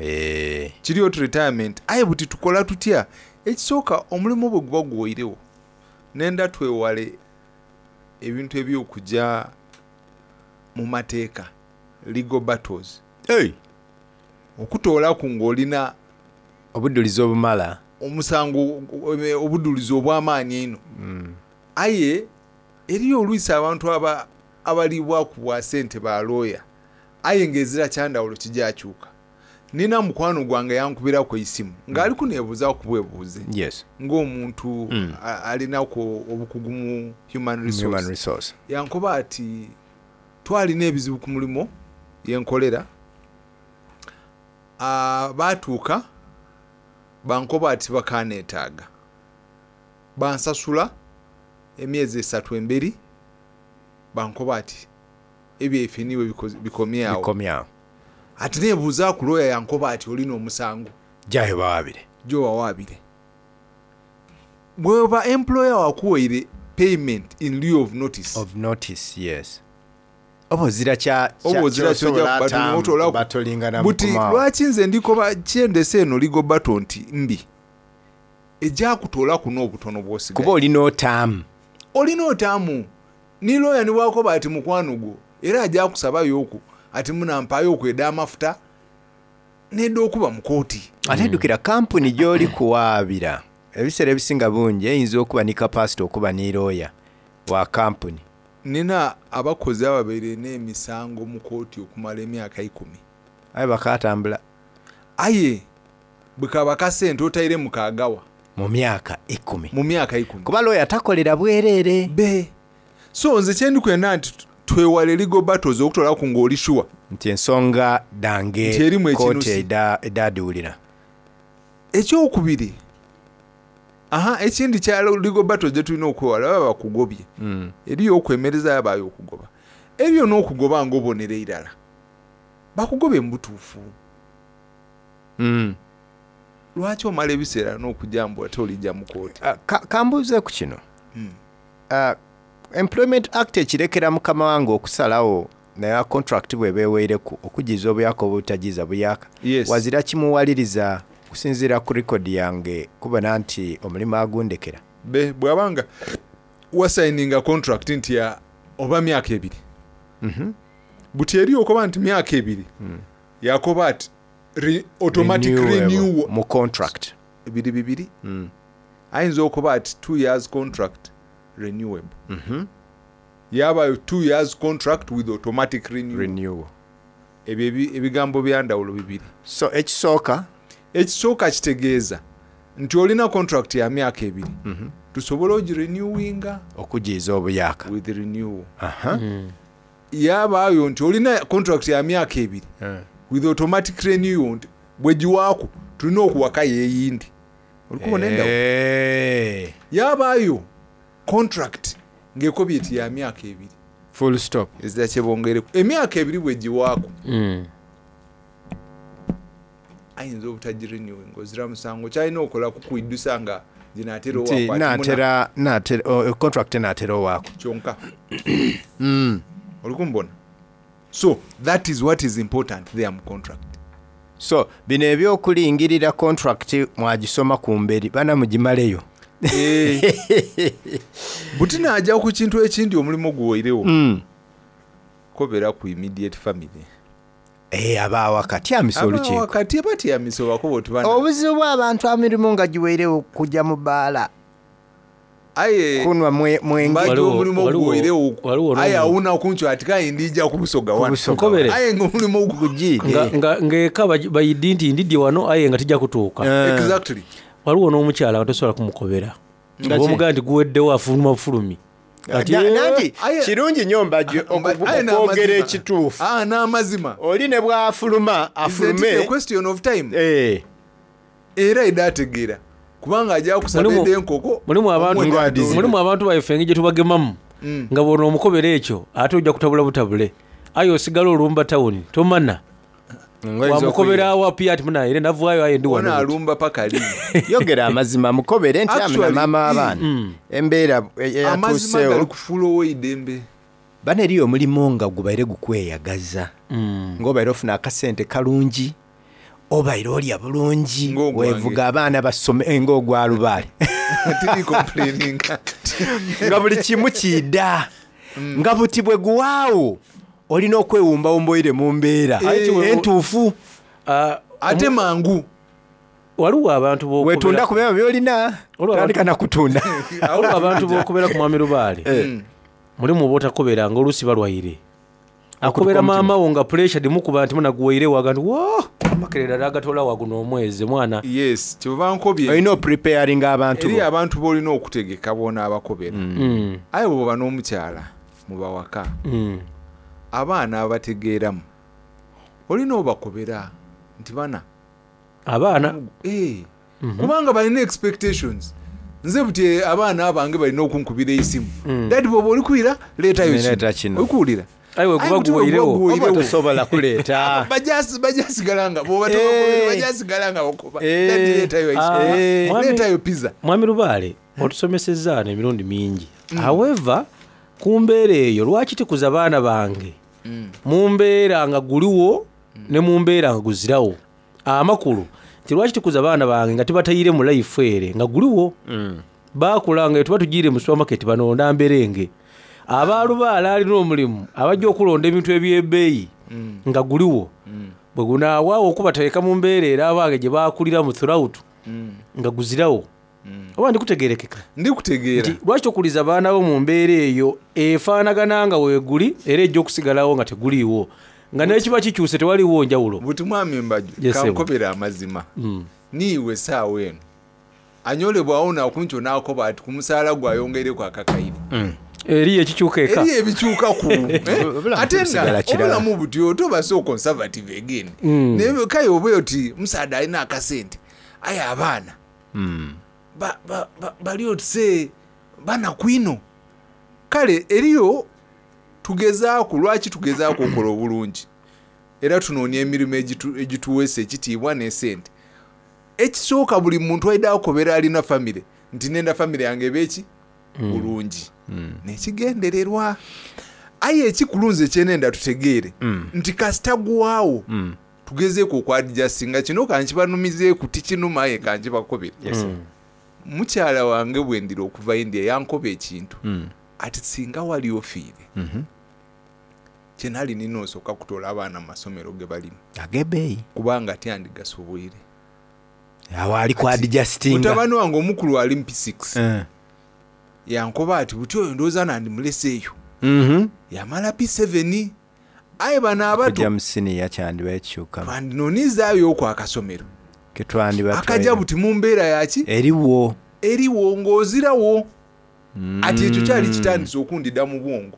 Eh. Kiri oti retirement. Aye buti tukola tutya? Ekisooka, omulimu bwe guba guwoirewo, nenda twewale ebintu eby'okuja mu mateeka, legal battles. Hey. Okutoolaku ng'olina obudulizi obumala, omusango, obudulizi obw'amaani einho. Aye eriyo oluisi abantu aba abalibwaku bwa sente ba looya, aye ng'ezira kyandawulo kijakyuka. Nina mukwano gwange yankubiraku eisimu ng'ali kuneebuuzaaku bwebuuze ng'omuntu alinaku obukugu mu human resource. Human resource. Yankoba ati twalina ebizibu ku mulimo yenkolera, ah, baatuuka bankoba ati bakaneetaaga, bansasula emyezi esatu emberi, bankoba ati ebyaife niiwe bikomye awo. Bikomye awo. Ati neebuuzaaku looya, yankoba ati olina omusango. Jayo bawaabire. Gy'owawaabire. Bw'oba employer wakuwaire payment in lieu of notice. Of notice, yes. Oba ozira kya Oba ozira kyosobola ky'oja atamu kubatolaku. batolingana Buti mukomaawo. lwaki nze ndikoba kyendese eno legal battle nti mbi ejakutoolaku n'obutono bw'osigaye. Kuba olina otaamu. Olina otaamu. Ni looya ni bw'akoba ati mukwano gwo era aja kusabayo oku ati munampaayo oku edh'amafuta. N'edh'okuba mu kooti. Ate idhukira kampuni gy'oli kuwaabira ebiseera ebisinga bungi eyinza okuba ni kapasite okuba ni looya wa kampuni. Nina abakozi ababaire n'emisango mu kooti okumala emyaka eikumi. Aye bakaatambula. Aye bwe kaba akasente otairemu kaagawa. Mu myaka eikumi. Mu myaka eikumi. Kuba looya takolera bwereere. Be. So nze kye ndi kwenda nti twewale legal battles okutolaku ng'oli sure. Nti ensonga Nti dhange erimu kooti ekinusi. eidha edhaadhiwulira. Ekyokubiri, aha, ekindi kya legal battles gye tulina okwewala baba bakugobye. Eriyo okwemereza yabaayo okugoba. Eriyo n'okugoba ng'obonera irala. Bakugobye mu butuufu. Lwaki omala ebiseera n'okuja mbu ate olija mu kooti? Ka mbuuzeeku kino. Employment Act ekirekera mukama wange okusalagho naye contract bweba eweireku okujiiza obuyaka oba obutajiiza buyaka? Yes. Wazira kimuwaliriza kusinziira ku record yange kubona nti omulimu agundekera. Be, bwaba nga wasayininga contract nti ya oba myaka ebiri. Buti eriyo okoba nti myaka ebiri, yakoba ati re, automatic Renewable renewal. mu contract. Biri bibiri. Ayinza okuba ati 2 years contract renewable. Yabayo 2 years contract with automatic renewal. Renewal. Ebyo ebigambo bya ndawulo bibiri. So ekisooka? Ekisooka kitegeeza nti olina contract ya myaka ebiri. Tusobole ogirenewinga. Okujiiza obuyaka. With renewal. Yabaayo nti olina contract ya myaka ebiri with automatic renewal nti bwegiwaaku tulina okuwakayo eyindi. Olikubona endawulo? Yabaayo contract ng'ekobye eti ya myaka ebiri. Full stop. Ezira kye bongereku. Emyaka ebiri bwegiwaaku ayinza obutagirenewinga ozira musango kyalina okola kukwiddusa nga ginaatera Nti owaako ati muna naatera naatera o- contract enaatera owaako. Kyonka. Olikumbona? So that is what is important there mu contract. So bino ebyokulingirira contract mwagisoma ku mberi bana mugimaleyo. Buti naajja ku kintu ekindi omulimu guweirewo. Kobera ku immediate family. Eh, abaawaka tyamisa olukiiko. Abaawaka tibatyamisa obakoba oti bana. Obuzibu bw'abantu emirimu nga giweirewo kujja mu bbaala. Aye kunwa mwenge. Mbadde omulimu guweirewo aye awuna kunkyo ati kaye ndija ku Busoga wano. Nkobere. Aye ng'omulimu gugiire. Ng'eka bayidi nti ndidye wano aye nga tijja kutuuka. Exactly. Waliwo n'omukyala nga tosobola kumukobera. Nga ki? Omugaa nti guweddewo afuluma bufulumi. Kati, Nanti kirungi nnyo mbajje okwogera ekituufu. N'amazima. Oli ne bw'afuluma afulume. Isn't it a question of time? Era edda ategeera kubanga ajja kusaba edda enkoko. Mulimu abantu mulimu abantu baife engeri gye tubagemamu nga bw'ono omukobera ekyo ate ojja kutabula butabule aye osigala olumba tawuni tomana wamukobera awo apiya ati munaye era navaayo aye ndi wano Ono alumba paka lini. Yogera amazima mukobere nti amina Actually, maama w'abaana. Embeera Amazima eyatuuseewo. gali kufuula ow'eidembe. Bano eriyo omulimu nga gubaire gukweyagaza. Ng'obaire ofuna akasente kalungi obaire olya bulungi weevuga abaana basome eh, ng'ogwa lubaale Tiri complaining. nga buli kimu kiida nga buti bwe guwaawo olina okwewumbawumba oire mu mbeera entuufu ate mangu waliwo abantu b'okubera- wetunda ku byama byolina tandika nakutunda waliwo abantu b'okubera ku mwami lubaale mulimu oba otakobera nga oluusi balwaire akobera maama wo nga puresha dimukuba nti munaguwaire waga nti wo amakerera nagatola waguno omwezi mwana yes kyova nkobye olina opreparinga abantu eri bo. abantu b'olina okutegeka boona abakobera. Aye bw'oba n'omukyala mubawaka abaana abategeeramu olina obakobera nti bana abaana Eh, kubanga balina expectations nze buti abaana abange balina okunkubira esimu dadi bwoba olikwira leetayo Leeta kino kino. olikuwulira Aye bwe guba guweirewo. Oba tosobola kuleeta. Bajasigala nga bwoba tobakobera bajasigala nga bakoba dadi leetayo ice cream. Leetayo pizza. Mwami lubaale otusomesezza ano emirundi mingi however ku mbeera eyo lwaki tikuza baana bange mu mbeera nga guliwo ne mu mbeera nga guzirawo amakulu nti lwaki tikuza baana bange nga tibatayire mu life ere nga guliwo bakula nga tuba tugiire mu supermarket banonda mberenge abaalubaala alina omulimu abajja okulonda ebintu ebyebbeeyi nga guliwo. Bwe gunaawaawo okubateeka mu mbeera era abange gye baakuliramu throughout nga guzirawo. Oba ndikutegeerekeka? Ndikutegeera. Nti lwaki tokuliza baana bo mu mbeera eyo efaanagana nga weeguli era ejja okusigalawo nga teguliiwo nga n'ekiba kikyuse tewaliwo njawulo. Buti mwami Mbaju, Yes, sebo. kankobere amazima. Niiwe saawa eno anyolebwawo nakunkyo n'akoba ati ku musaala gwe ayongeireku akakaire. Eriyo ekikyuka eka. Eriyo ebikyukaku. Eh? Obulamu Ate nga tebusigala kirala. obulamu buti otoba so conservative again. Naye kale oba oti musaadha alina akasente aye abaana bali otise banaku ino. Kale eriyo tugezaaku, lwaki tugezaaku okola obulungi era tunoonia emirimu egituweesa ekitiibwa n'esente. Ekisooka buli muntu aida akobera alina famire nti nenda famire yange ebe ki bulungi nekigendererwa. Aye ekikulu nze kyenenda tutegeere nti kasita gwaawo tugezeeku okwadjustinga kino kankibanumizeeku tikinuma aye kankibakobere. Yes, sir. Mukyala wange bwendira okuva India yankoba ekintu ati singa wali ofiire kyenali nina osooka kutola abaana mu masomero ge balimu ag'ebbeeyi kubanga tyandigasoboire. Awo ali ku adjustinga. Mutabani wange omukulu ali mu P6 Eh. yankoba ati buti oyo ndowooza nandimuleseeyo yamala P7 aye bano abato Kujja mu siniya kyandiba ekikyukamu. twandinonizaayo okwo akasomero Ketwandiba akajja buti mu mbeera yaki eriwo eriwo ng'ozirawo. Ati ekyo kyali kitandise okundida mu bwongo.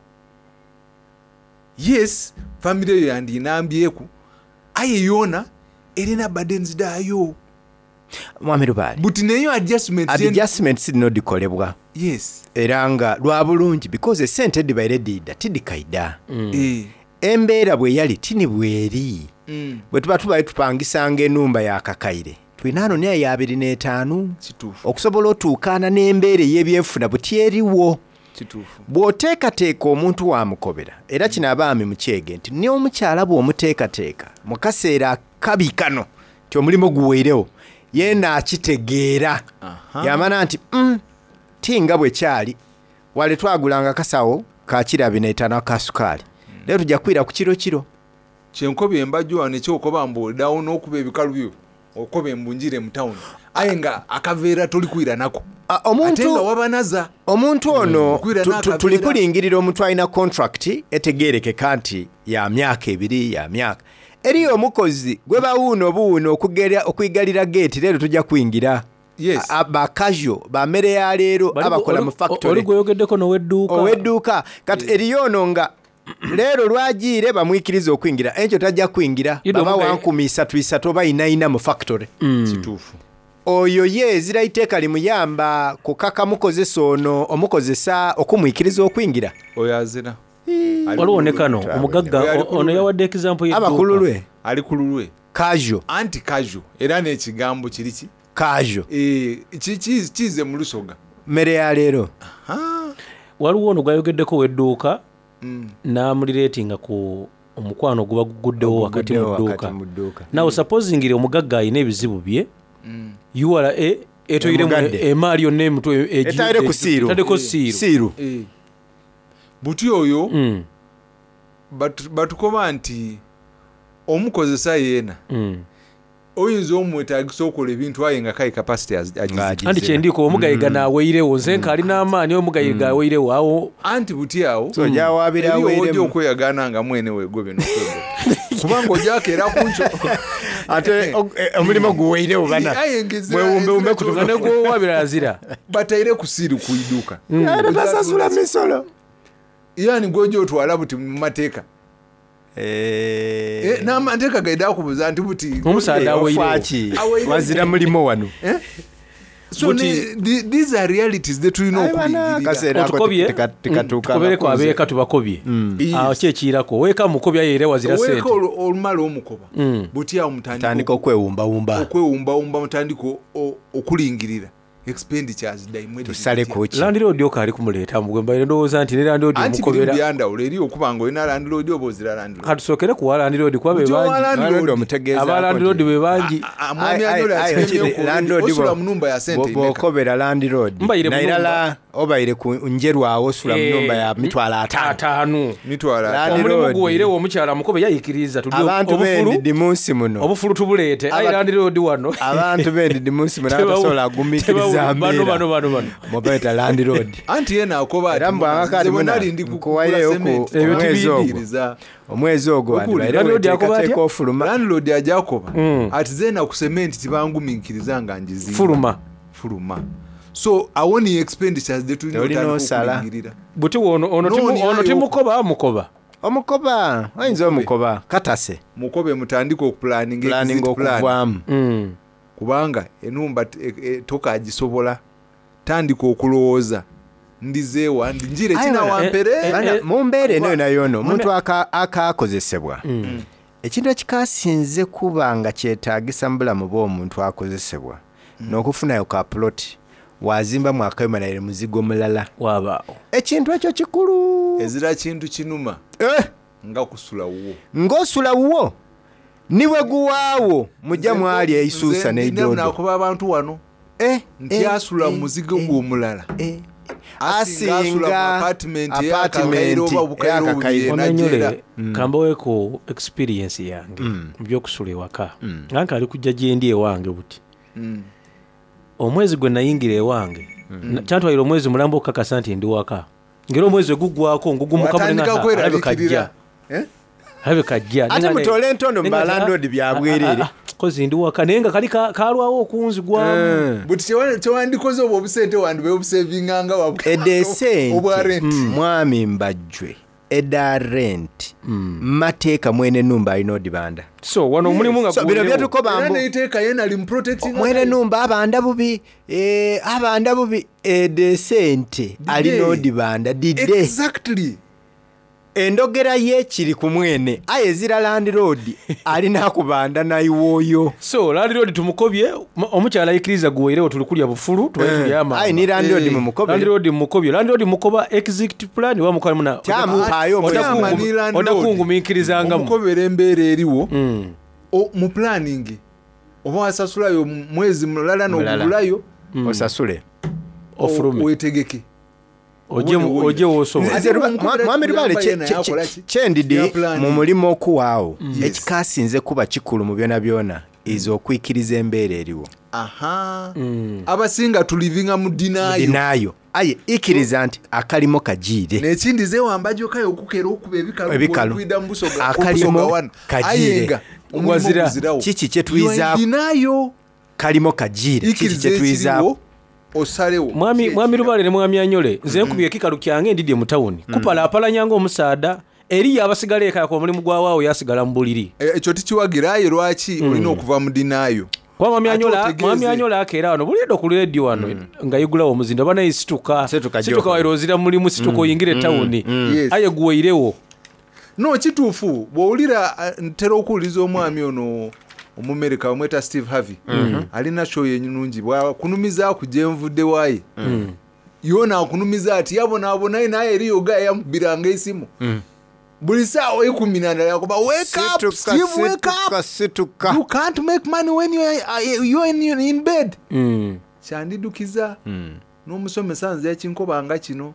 Yes, famire eyo yandinambyeku aye yoona erina burdens daayo. Mwami Lubaale, buti neyo adjustment adjustments zino dikolebwa. Yes. Era nga lwa bulungi because esente edibaire diida tidikaida. Eh. Embeera bwe yali tini bweri. Bwe tuba tubaire tupangisanga enumba ya kakaire tulina ano naye ya 25 okusobola otuukaana n'embeera ey'ebyenfuna buti eriwo. Kituufu. Bw'oteekateeka omuntu wamukobera, era kino abaami mukyege nti n'omukyala bw'omuteekateeka mu kaseera akabi kano nti omulimu guweirewo yeena akitegeera yamana nti ti nga bwe kyali wale twagulanga kasawo ka kiro 25 aka sukaali leero tujja kwira ku kiro kiro. Kyenkobye embajjo wano ekyokoba mbu odawo n'okuba ebikalu byo okoba embu njire mu tawuni aye nga akaveera toli kwira nako. Omuntu Ate nga wabanaza. Omuntu ono Okwira n'akaveera. tuli kulingirira omuntu alina contract etegeerekeka nti ya myaka ebiri ya myaka eriyo omukozi gwe bawuuna obuwuuna okwigalira geeti leero tujja kuyingira. Yes. Bakajo bamere ya leero abakola mu factory. Oli gweyogeddeko n'owedduuka. Owedduuka kati eriyo ono nga leero lwagiire bamwikiriza okuyingira enkyo tajja kuyingira Ido baba omugaye- 13,300 oba 44 mu factory. Kituufu. Oyo ye ezira iteeka limuyamba kukaka mukozesa ono omukozesa okumwikiriza okuyingira. Oyo azira. Waliwo ne kano omugagga ono yawadde example Aba ku lulwe. Ali ku lulwe. Casual. Anti casual era n'ekigambo kiri ki? Casual. Eh, kize mu lusoga. Mmere ya leero. Waliwo ono gwayogeddeko ow'edduuka n'amulireetinga ku omukwano guba guguddewo wakati mu Oguguddewo dduuka. wakati mu dduuka. Now supposingire omugagga alina ebizibu bye URA etoyiremu Emugadde. emaali yonna emutwe Etaire ku siiru. etaddeko siiru. Eh. Buti oyo batukoba nti omukozesa yeena oyinza omwetagisa okola ebintu aye nga kaye capacity agize. Anti kyendiko omugayiga naaweirewo nze nkalina amaanyi omugayiga aweirewo awo anti buti awo So, gy'awaabira eriyo aweeremu. ojja okweyagaana nga mwene weegobe n'okwegoba kubanga ojakeera kunco Ate omulimu guweirewo bana. Aye ngezera- Mwewumbewumbe ezira kutuva. Ne gw'owaabira azira. Bataire ku siiru ku idduuka. Era basasula misolo. Yani gw'ojja otwala buti mu mateeka. Eh, n'amateeka gaida akubuuza nti buti Omusaadha aweirewo. Ofaaki? Aweirewo. Wazira mulimo wano. Eh? So these are realities ze tulina okulingirira. Otukobye tukobereko abeeka tubakobye awo ki ekiyirako oweeka mukobye aye era wazira Oweeka sente olumala omukoba buti awo mutandika Tandika okwewumbawumba. okwewumbawumba mutandika okulingirira expenditures daimwe Landlord okaali kumuleeta mugwe mbaire ndowooza nti ne landlord anti biri omukobera byandawulo eri okuba nga olina landlord oba ozira landlord. Katusookere ku wa landlord kuba be Buti owa bangi. landlord omutegeezaako Aba landlord be bangi. Mwami Anyolo asiimye ku- osula mu nnumba ya sente imeka? Bw'okobera landlord Mbaire mu nairala Obaire ku Njeru awo osula mu nhumba ya mitwalo ataanu. Ataanu. Mitwalo Omulimu guweirewo omukyala mukobe yayikiriza tulye Abantu obufulu. b'endidi mu nsi muno. Obufulu tubuleete. Aye landiroodi wano. Abantu b'endidi mu nsi muno abatasobola kugumiikiriza Bano mbeera. bano bano bano. Mubeeta landiroodi. Anti yena akoba Era mbwanga kati muna nkuwaireyo ku omwezi ogwo. Omwezi ogwo wandibaire weteekateeka ofuluma. Landlord aja akoba ati zeena ku cement tibangumiikiriza nga ngizimba. Fuluma. Fuluma. So awo ni expenditures ze tulina Olina otandika osala. okulingirira. Buti ono ono Nooni ono ayo- timukoba mukoba. Omukoba oyinza omukoba katase. Mukobe mutandike okupulaninga Planning exit plan. okuvaamu. Kubanga enumba tokagisobola. Tandika okulowooza ndizeewa ndi njire Aye kina bana, wampere. bana, mu mbeera eno yona yona omuntu akakozesebwa ekintu ekikasinze kuba nga kyetaagisa mu bulamu bw'omuntu akozesebwa n'okufunayo ka ploti wazimbamu akayuma naye muzigo mulala wabaawo ekintu ekyo kikulu Ezira kintu kinuma. Nga kusula wuwo. ng'osula wuwo niwe guwaawo mujja mwali eisuusa n'eidodo nakuba abantu wano nti asula mu muzigo gw'omulala asinga asula mu asinga apartment eyakakaire oba obukaire obubiri Wamenyole enajera kambaweeko experience yange mu byokusula ewaka nga nkaali kujja gyendi ewange buti omwezi gwe nayingira ewange kyantwalira omwezi mulamba okukakasa nti ndi waka ngera omwezi weguggwako ngugumuka Watandika alabika kweraliikirira. ajja alabika ajja Ate mutoole entondo mu balandlord bya bwereere. kozi ndi waka naye nga kali kalwawo okunzigwamu buti kyewandikoze obwo obusente wandibe obusavinganga edda esente obwa rent mwami mbajjwe edda rent mateeka mwene numba alina odibanda so wano omulimu nga So, bino byetukoba era mbu neiteeka yena ali muprotecting mwene numba abanda bubi eh, abanda bubi edda esente alina odibanda didde exactly endogera ye kiri ku mwene aye ezira landiroodi alina akubanda nayiwooyo so landlord tumukobye omukyala ayikiriza guweirewo tuli kulya bufulu tubaye Eh. tuli amamba. Aye, ni landlord mumukobere. Landlord mumukobye landlord mukoba exit plan wamukoba muna Kyamumpaayo omwezi. oda kungumiikirizangamu omukobera embeera eriwo mu planning oba wasasulayo mwezi mulala Mulala. n'ogugulayo osasule Ofulume. wetegeke Oje w'osobola. Nze Mwami Lubaale kyendidi mu mulimu okuwaawo Yes. ekikasinze kuba kikulu mu byona byona is okwikiriza embeera eriwo aha abasinga tulivinga mu dinayo dinayo aye ikkiriza nti akalimo kagiire nekindi zewambajokayo okukera okuba ebikalu Ebikalu. kwida mu Busoga- Akalimo Busoga wano. kagiire. Aye nga omulimu Wazira. guzirawo. Kiki kye tuyizaako? Dinayo kalimo kagiire kiki ikiriza kyetuyizaaku ekiriwo osalewo mwami mwami Lubaale ne mwami Anyole nze nkubye ekikalu kyange ndidye mu tawuni kupalaapalanya ng'omusaada eriyo abasigala eka yako omulimu gwawaawo yasigala mu buliri ekyo tikiwagira aye lwaki olina okuva mu dinayo kuba mwami Ate Anyola otegeeze. mwami Anyola akeera wano buli eddo ku leediyo wano nga yigulawo omuzinda oba naye situka situka gy'okola. waira ozira mulimu situka oyingire tawuni Yes. aye guweirewo no kituufu bw'owulira ntera okuwuliza omwami ono omumerika bamweta steve harvey alina show yenungi bwakunumizaaku gyenvudde waaye yona akunumiza ati yabonaabona naye eriyo ga yamukubiranga esimu buli saawa ekumi nandala yakuba wake up Situka, steve wake up situka you can't make money when you are, you are in bed kyandidukiza n'omusomesa nze yakinkobanga kino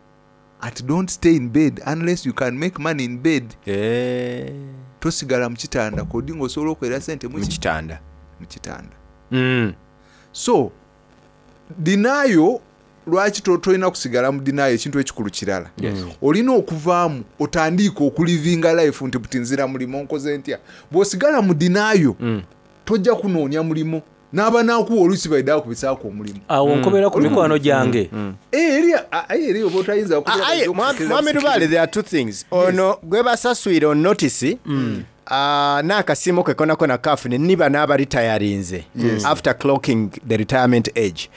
ati don't stay in bed unless you can make money in bed tosigala mu kitanda kodi ng'osobola okwera sente mu kitanda mu kitanda so dinayo lwaki tolina kusigala mu dinayo ekintu ekikulu kirala Yes. olina okuvaamu otandiike okulivinga life nti buti nzira mulimu nkoze ntya bw'osigala mu dinayo tojja kunoonya mulimu n'aba nakuwa oluusi baidde akubisaako omulimu awo nkobera ku mikwano gyange Eh, eri aye eri oba otayinza kubeera Aye, bajja okutegeeza mwami Lubaale there are two things ono gwe basaswire on notice n'akasiimo ke konakona kafune niba n'abaritayarinze Yes. after clocking the retirement age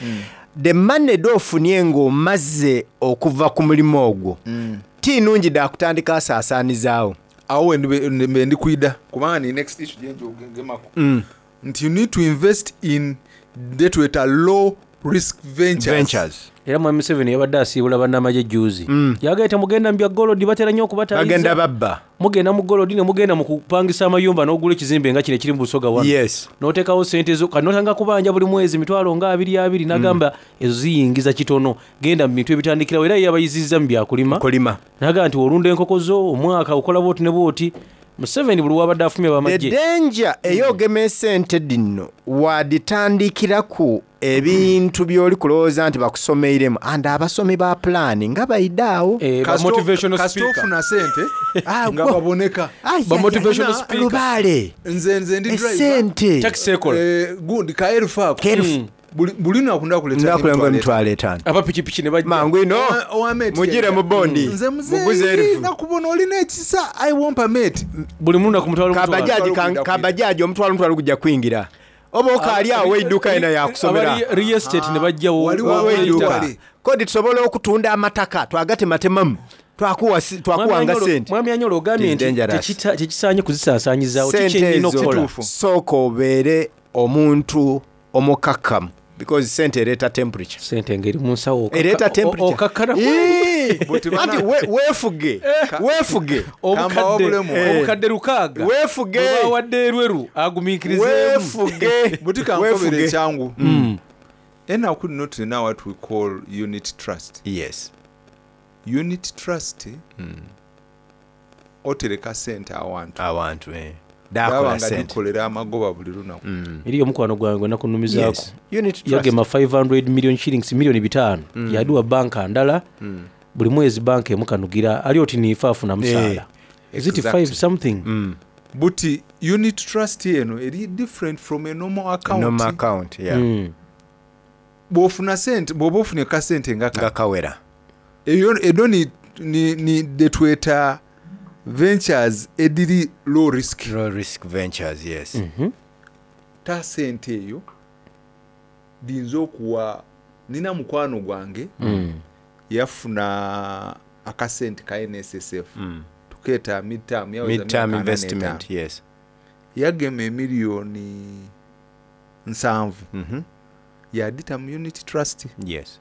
the money doofunye ng'omaze okuva ku mulimu ogwo ti nungi dakutandika asaasaanizaawo awo mbe ndikwida kubanga ni next issue gyenjogemako nti you need to invest in detweta low risk ventures. Era Mwami Museveni yabadde asiibula bannamagye jjuuzi. Yagambye temugenda mu bya golodi batera nnyo okubataayiza. Bagenda babba. Mugenda mu golodi ne mugenda mu kupangisa amayumba n'ogula ekizimbe nga kino ekiri mu Busoga wano. Yes. N'oteekawo ssente zo kati n'otandika kubanja buli mwezi mitwalo nga abiri abiri n'agamba ezo ziyingiza kitono genda mu bintu ebitandikirawo era ye yabayizizza mu byakulima. Kulima. N'agamba nti olunda enkoko zo omwaka okola bw'oti ne bw'oti. Museveni buli w'abadde afumye The abamagye. danger ey'ogema esente dino waditandikiraku ebintu by'oli kulowooza nti bakusomeiremu and abasomi ba pulaani nga baidaawo Eh, Kasita ofuna sente nga baboneka. Ba motivational speaker. Lubaale. Nze ndi driver. Esente. Taxi ekola. Gundi ka elfu ako. Ka elfu. Buli lunaku ndakuleetera Ndakuleetera emitwalo etaano. Aba pikipiki ne bajja. Mangu ino. Mugire mu bondi. Nze Muguze muzeeyi elfu. nakubona olina ekisa I wompa mate. Buli munaku mutwalo Kabajaji kabajaji omutwalo omutwalo gujja kuyingira. Oba okaali awo edduuka yena yakusomera. Abali real estate ne bajjawo. Waliwo edduuka. Kodi tusobola okutunda amataka twagatematemamu twakuwa twakuwanga sente. Mwami Anyolo ogambye It is nti dangerous. tekisaanye kuzisaasaanyizaawo Sente kikyennyina ezo okukola. sooka obeere omuntu omukakkamu because sente ereeta temperature. Sente ngeri mu nsawo ereeta temperature. okakkana Ii! Anti weefuge weefuge Obukadde lukaaga weefuge bwe bawadde erweru agumiikirizeemu. Weefuge. Buti kankobere Weefuge. ekyangu. Enaku lino tulina what we call unit trust. Yes. Unit trust otereka sente awantu. Awantu eh. Daba Dakola nga sente. dikolera amagoba buli lunaku. Eriyo omukwano gwange gwe nakunumizaako. Yes. Unit trust. Yagema 500 million shillings miliyoni bitaano yaduwa banka ndala buli mwezi banka emukanugira ali oti niife afuna musaala. Is it Exactly. 5 something? Buti unit trust eno eri different from a normal account. Normal account, yeah. Bw'ofuna sente bw'oba ofunye kasente nga Nga kawera. Eyo edo ni ni detweta ventures ediri low risk. Low risk ventures, yes. Ta sente eyo ndinza okuwa nina mukwano gwange yafuna akasente ka NSSF tukeeta midterm yaweza Midterm myaka ana investment, n'etaano. yes. Yagema emiliyoni 70 yadita mu unit trust. Yes.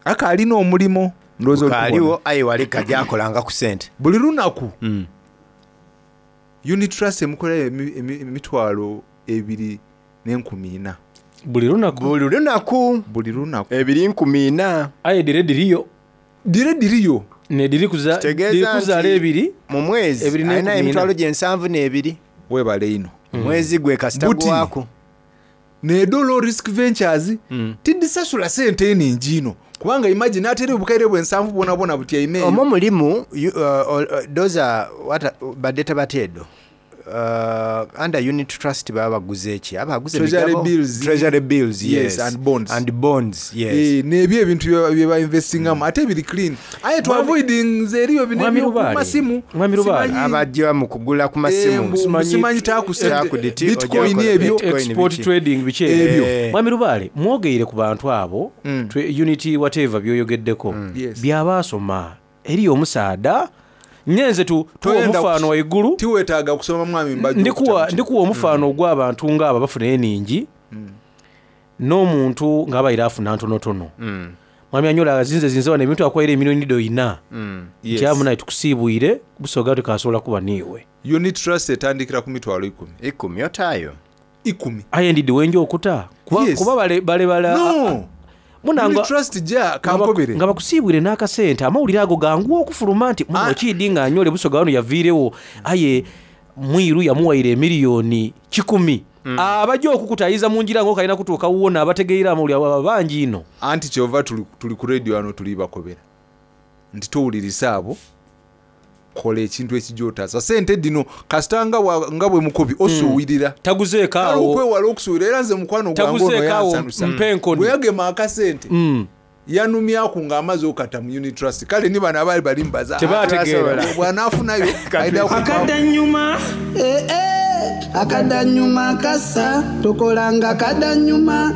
Akaalina omulimu ndowooza oli Kaaliwo kubona. aye wali kajakolanga ku sente. Buli lunaku unit trust emukolera emitwalo 2,400. Buli lunaku. Buli lunaku. Buli lunaku. 2,400. Aye dire diriyo. Dire diriyo. Ne diri kuza Kitegeeza diri kuzaala nti ebiri. mu mwezi Ebiri alina n'enkumi emitwalo ena. gye 72. Weebale ino. Mwezi gwe kasita Buti. gwako. Nedo low risk ventures tidisasula sente eningi ino kubanga imagine ateri obukaire bwe 70 bwona bwona butyaime eyo. Omwo mulimu those are what badeta bateedo. Under unit trust baba baguze ki? Abaguze Treasury emigabo? bills. Treasury bills, yes. Yes, and bonds. And bonds, yes. Eh, n'ebyo ebintu bye bainvestingamu ate biri clean aye tu avoidinze eriyo bino Mwami Lubaale. eby'okumasimu Mwami Lubaale. Simanyi- Abajja mu kugula ku masimu. Eh, simanyi taku sente, Taku diti, bitcoin ojja ebyo. bitcoin Export biki. trading biki Ebyo. Eh. Mwami Lubaale mwogeire ku bantu abo unit whatever byoyogeddeko Yes. byabaasoma eriyo omusaada nyenze tuwa Toyenda omufaano waigulu tiweetaaga kusoma mwami Mbajjo ndikuwa omufaano ogw'abantu ng'abo bafuna eningi n'omuntu ng'abaire afuna ntonotono mwami anyola azinze zinze wano ebintu akwaire emiliyoni doina Yes. nti amunaye tukusiibwire busoga tukasobola kuba niiwe unit trust etandikira ku mitwalo 10 Ikumi otaayo. 10 aye ndidde wenja okuta kuba, Yes. kuba bale, bale bala No. Munanga- Unit trust ja kankobere nga bakusiibwire n'akasente amawulire ago gangu okufuluma nti muno kiidi nga anyole busoga wano yaviirewo aye mwiru yamuwaire emiliyoni 100 abajja okukutayiza mu ngira ng'okalina kutuuka wuwo abategeera amawulire abo aba bangi ino anti kyova tuli ku radio wano tuli bakobera nti towulirisa abo kola ekintu ekijja otaasa sente dino kasita nga bwe mukobi osuwirira taguzeeko kale awo okwewala okusuwirira era nze mukwano gwange ono Taguzeeko awo, yansanusa mpa enkoni. bwe yagema akasente yanumyaku ng'amaze okata mu unit trust kale ni bano abaali bali mubaza Tebaategeera. bw'anaafunayo ayida Akadanyuma eh, eh, akadanyuma kasa tokolanga kadanyuma.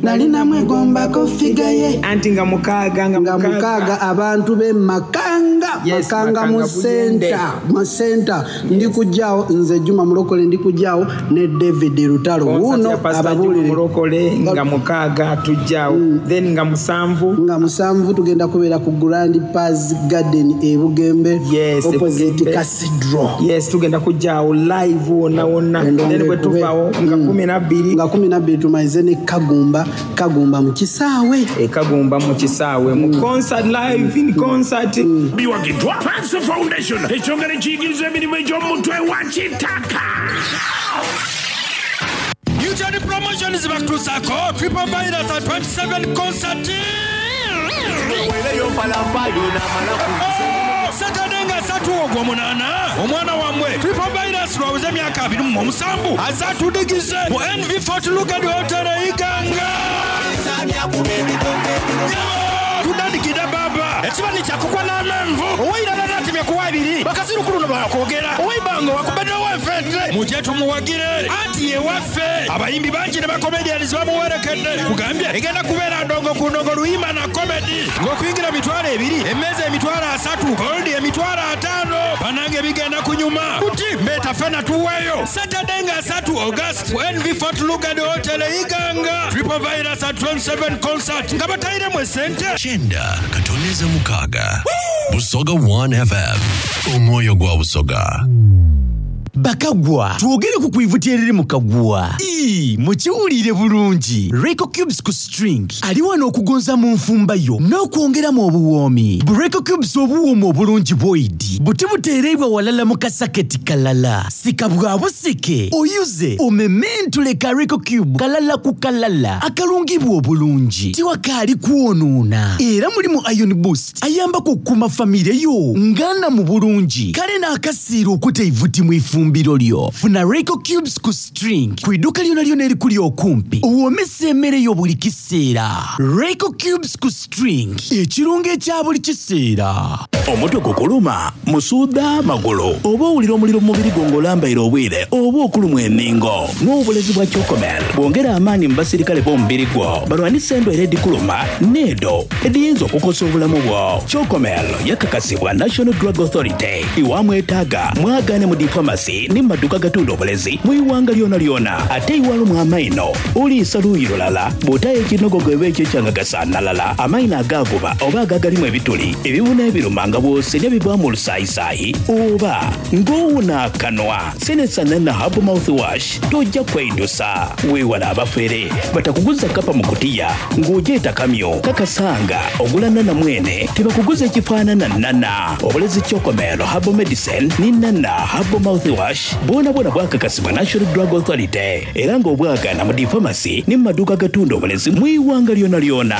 Nali namwegombako figa ye. Anti nga mukaaga nga mukaaga abantu be Makanga Yes, Makanga mu Makanga Buyende. center mu center ndi kujjaawo nze Juma Mulokole ndi kujjaawo ne David Lutalo Concert wuuno ya Pastor Juma ababuulire Mulokole nga mukaaga tujjaawo then nga musanvu nga musanvu tugenda kubeera ku Grand Paz Garden e Bugembe Yes, opposite Bugembe. Cathedral yes tugenda kujjaawo live wonna wonna then bwe tuvaawo nga kumi nabbiri nga kumi nabbiri tumalize ne Kagumba Kagumba mu kisaawe e Kagumba mu kisaawe mu concert live in concert Biwagiddwa Panso Foundation ekyongera ekiyigiriza emirimu egy'omutwe wa kitaka. Newton Promotions bakutuusaako Triple Virus at 27 concert. Saturday nga ssatu ogw'omunaana omwana wammwe Triple Virus lwaweze emyaka 27 azze atudigize mu NV Fort Lugard Hotel e Iganga. Tudandikidde baba ekibani kyakukwa n'amenvu owairala natemya kuwa ebiri bakasirukulu no bakwogera owaibanga wakubeddewo enfente mujje tumuwagire anti yewaffe abayimbi bangi ne bakomedians bamuwerekedde kugambye egenda kubeera ndongo ku ndongo luyimba na komedi ng'okuyingira 20,000 emmeeza 30,000 goldi 50,000 banange bigenda kunyuma kuti mbeeta fena tuweeyo saturday nga 3 august ku nv fort lugard hotel e iganga triple virus at 27 concert nga batayiremu esente Chenda Katoneza Mukaga. Busoga 1 FM. Omwoyo gwa Busoga. Bakagwa twogere ku kwivuti eriri mu kagwa Ii, mukiwulire bulungi Reco Cubes ku string ali wano okugonza mu nfumba yo n'okwongeramu obuwoomi. Bu Reco Cubes obuwooma obulungi bwoidi buti buteereibwa walala mu kasaketi kalala sika bwa busike oyuze omementule ka Reco Cube kalala ku kalala akalungibwa obulungi tiwakaali kwonoona era mulimu iron boost ayambako okukuuma famire yo ngana mu bulungi kale n'akasiira okuta eivuti mu ifumbiro lyo. Funa Reco Cubes ku string ku idduuka lyona lyona erikuli okumpi owoomesa emmere yo buli kiseera. Reco Cubes ku string ekirungo ekya buli kiseera. Omutwe gukuluma musuuda magulu oba owulira omuliro mu mubiri gwo ng'olambaire obwire oba okulumwa enningo n'obulezi bwa Chocomel bwongera amaanyi mu basirikale b'omubiri gwo balwanisa endwaire edikuluma n'edo ediyinza okukosa obulamu bwo. Chocomel yakakasibwa National Drug Authority iwamwetaaga mwagaane mu difamasi ne mu maduuka gatunda obulezi mu iwanga lyona lyona ate iwalumwa amaino oliisa luuyi lulala bw'otayo ekinogogo eba ekyo ekyangagasaanalala amaino agaaguba oba agagalimu ebituli ebibuna ebiruma nga bw'osenya bivaamu olusaayisaayi oba ng'owuna akanwa senesa nana herbal mouthwash tojja kweidusa weewala abafere batakuguza kapa mu kutiya ng'ogyeta kamyo kakasanga ogula nana mwene tebakuguza ekifaanana nana obulezi Chocomel herbal medicine ne nana herbal mouthwash bwona bwona bwakakasibwa National Drug Authority era ng'obwagaana mu difamasi ne mu maduuka agatunda obulezi mu iwanga lyona lyona.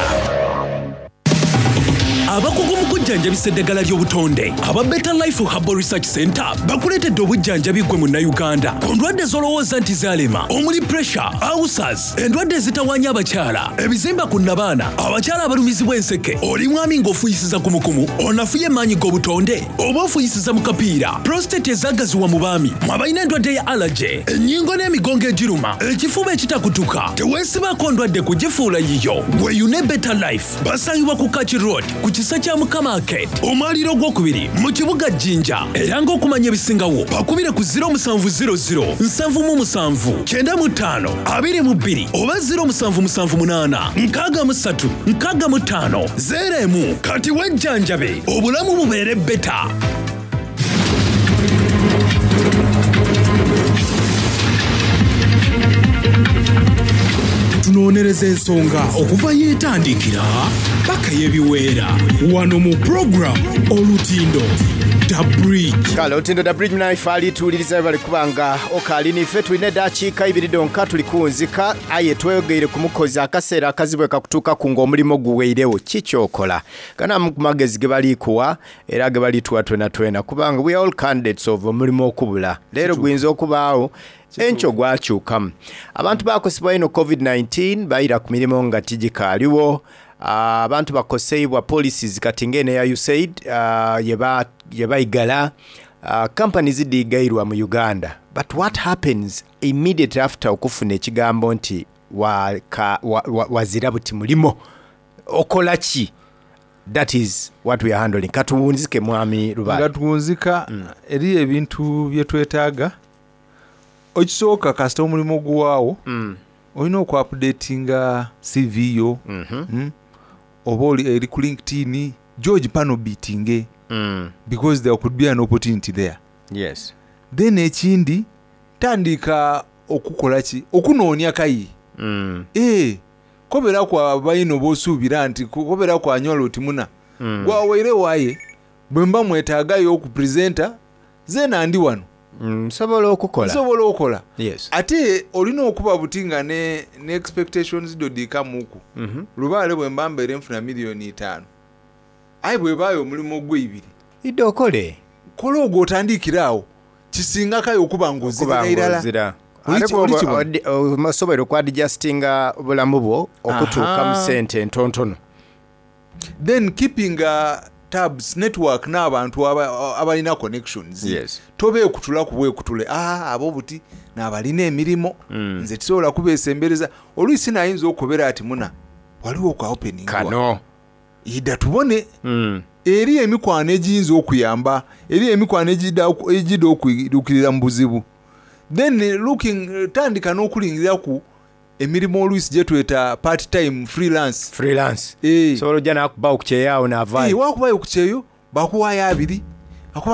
Abakugu mu kujjanjabisa eddagala ly'obutonde aba Better Life Herbal Research Center bakuleetedde obujjanjabi ggwe munnayuganda ku ndwadde z'olowooza nti zaalema omuli pressure, ulcers, endwadde ezitawaanya abakyala, ebizimba ku nnabaana, abakyala abalumizibwa enseke, oli mwami ng'ofuuyisiza kumukumu, onafuye emaanyi g'obutonde oba ofuuyisiza mu kapiira, prostate ezaagaziwa mu baami, mwe abalina endwadde ya allergy, ennyingo n'emigongo egiruma, ekifuba ekitakutuka, teweesibaako ndwadde kugifuula yiyo. Weeyune Better Life. Basangibwa ku Kaki Road ku kisa kya Mukama Arcade, omwaliiro ogwokubiri mu kibuga Jinja. Era ng'okumanya ebisingawo bakubire ku 0700 77 95 22 oba 0778 63 65 01. Kati wejjanjabe obulamu bubeere beta. Tunoonyereza ensonga okuva yeetandikira paka yebiweera wano mu program Olutindo The Bridge. Kale Olutindo The Bridge naife alituwuliriza bali kubanga okaali nife tulina eddakiika ibiri donka tuli kuwunzika aye tweyogeire ku mukozi akaseera akazibu ekakutuukaku ng'omulimu guweirewo kikyokola gana ku magezi ge balikuwa era ge balituwa twena twena kubanga we are all candidates of omulimu okubula leero guyinza okubaawo enkyo gwakyukamu abantu bakosebwa ino covid-19 bayira ku mirimu nga tigikaaliwo. Abantu bakoseibwa policies kati ng'eno eya USAID yebaigala companies zidigairwa mu Uganda but what happens immediately after okufuna ekigambo nti waka, wa, wa, wazira buti mulimo okola ki? That is what we are handling. Katuwunzike mwami Lubaale. Nga tuwunzika eriyo ebintu bye twetaaga. Ekisooka kasita omulimu guwaawo olina oku updatinga CV yo oba oli eri ku LinkedIn George pano beatinge because there could be an opportunity there. Then ekindi tandika okukola ki okunoonya kayi kobera kwa baino bosuubira nti kobera kwa nyola oti muna gwaweire waye bwe mba mwetaagayo okupresenta zeena ndi wano nsobola okukola. Nsobola okukola. Ate olina okuba buti nga ne, ne expectations do diikamuku lubaale bwe mba mbeere nfuna miliyoni 5 aye bwebaayo omulimu ogw'eibiri idde okole kola ogwo otandikire awo kisingakayo okuba ng'ozirira irala ng'ozira. Oli Ate oli bw'oba kibona? osobola okwadjustinga obulamu bwo okutuuka mu Aha. sente entontono. Then keeping tabs network n'abantu abalina connections. Tobeekutula ku bwekutule ah, abo buti n'abalina emirimu nze tisobola kubeesembereza oluisi nayinza okubera ati muna waliwo kwa opening kano ida tubone eri emikwano egiyinza okuyamba eri emikwano egidda okwidukirira mu buzibu then looking tandika n'okulingirira ku emirimu oluisi gyetweta part time freelance. Freelance sobola ojja nakubawo ku kyeyo awo naavaayo. Wakubayo ku kyeyo bakuwaayo abiri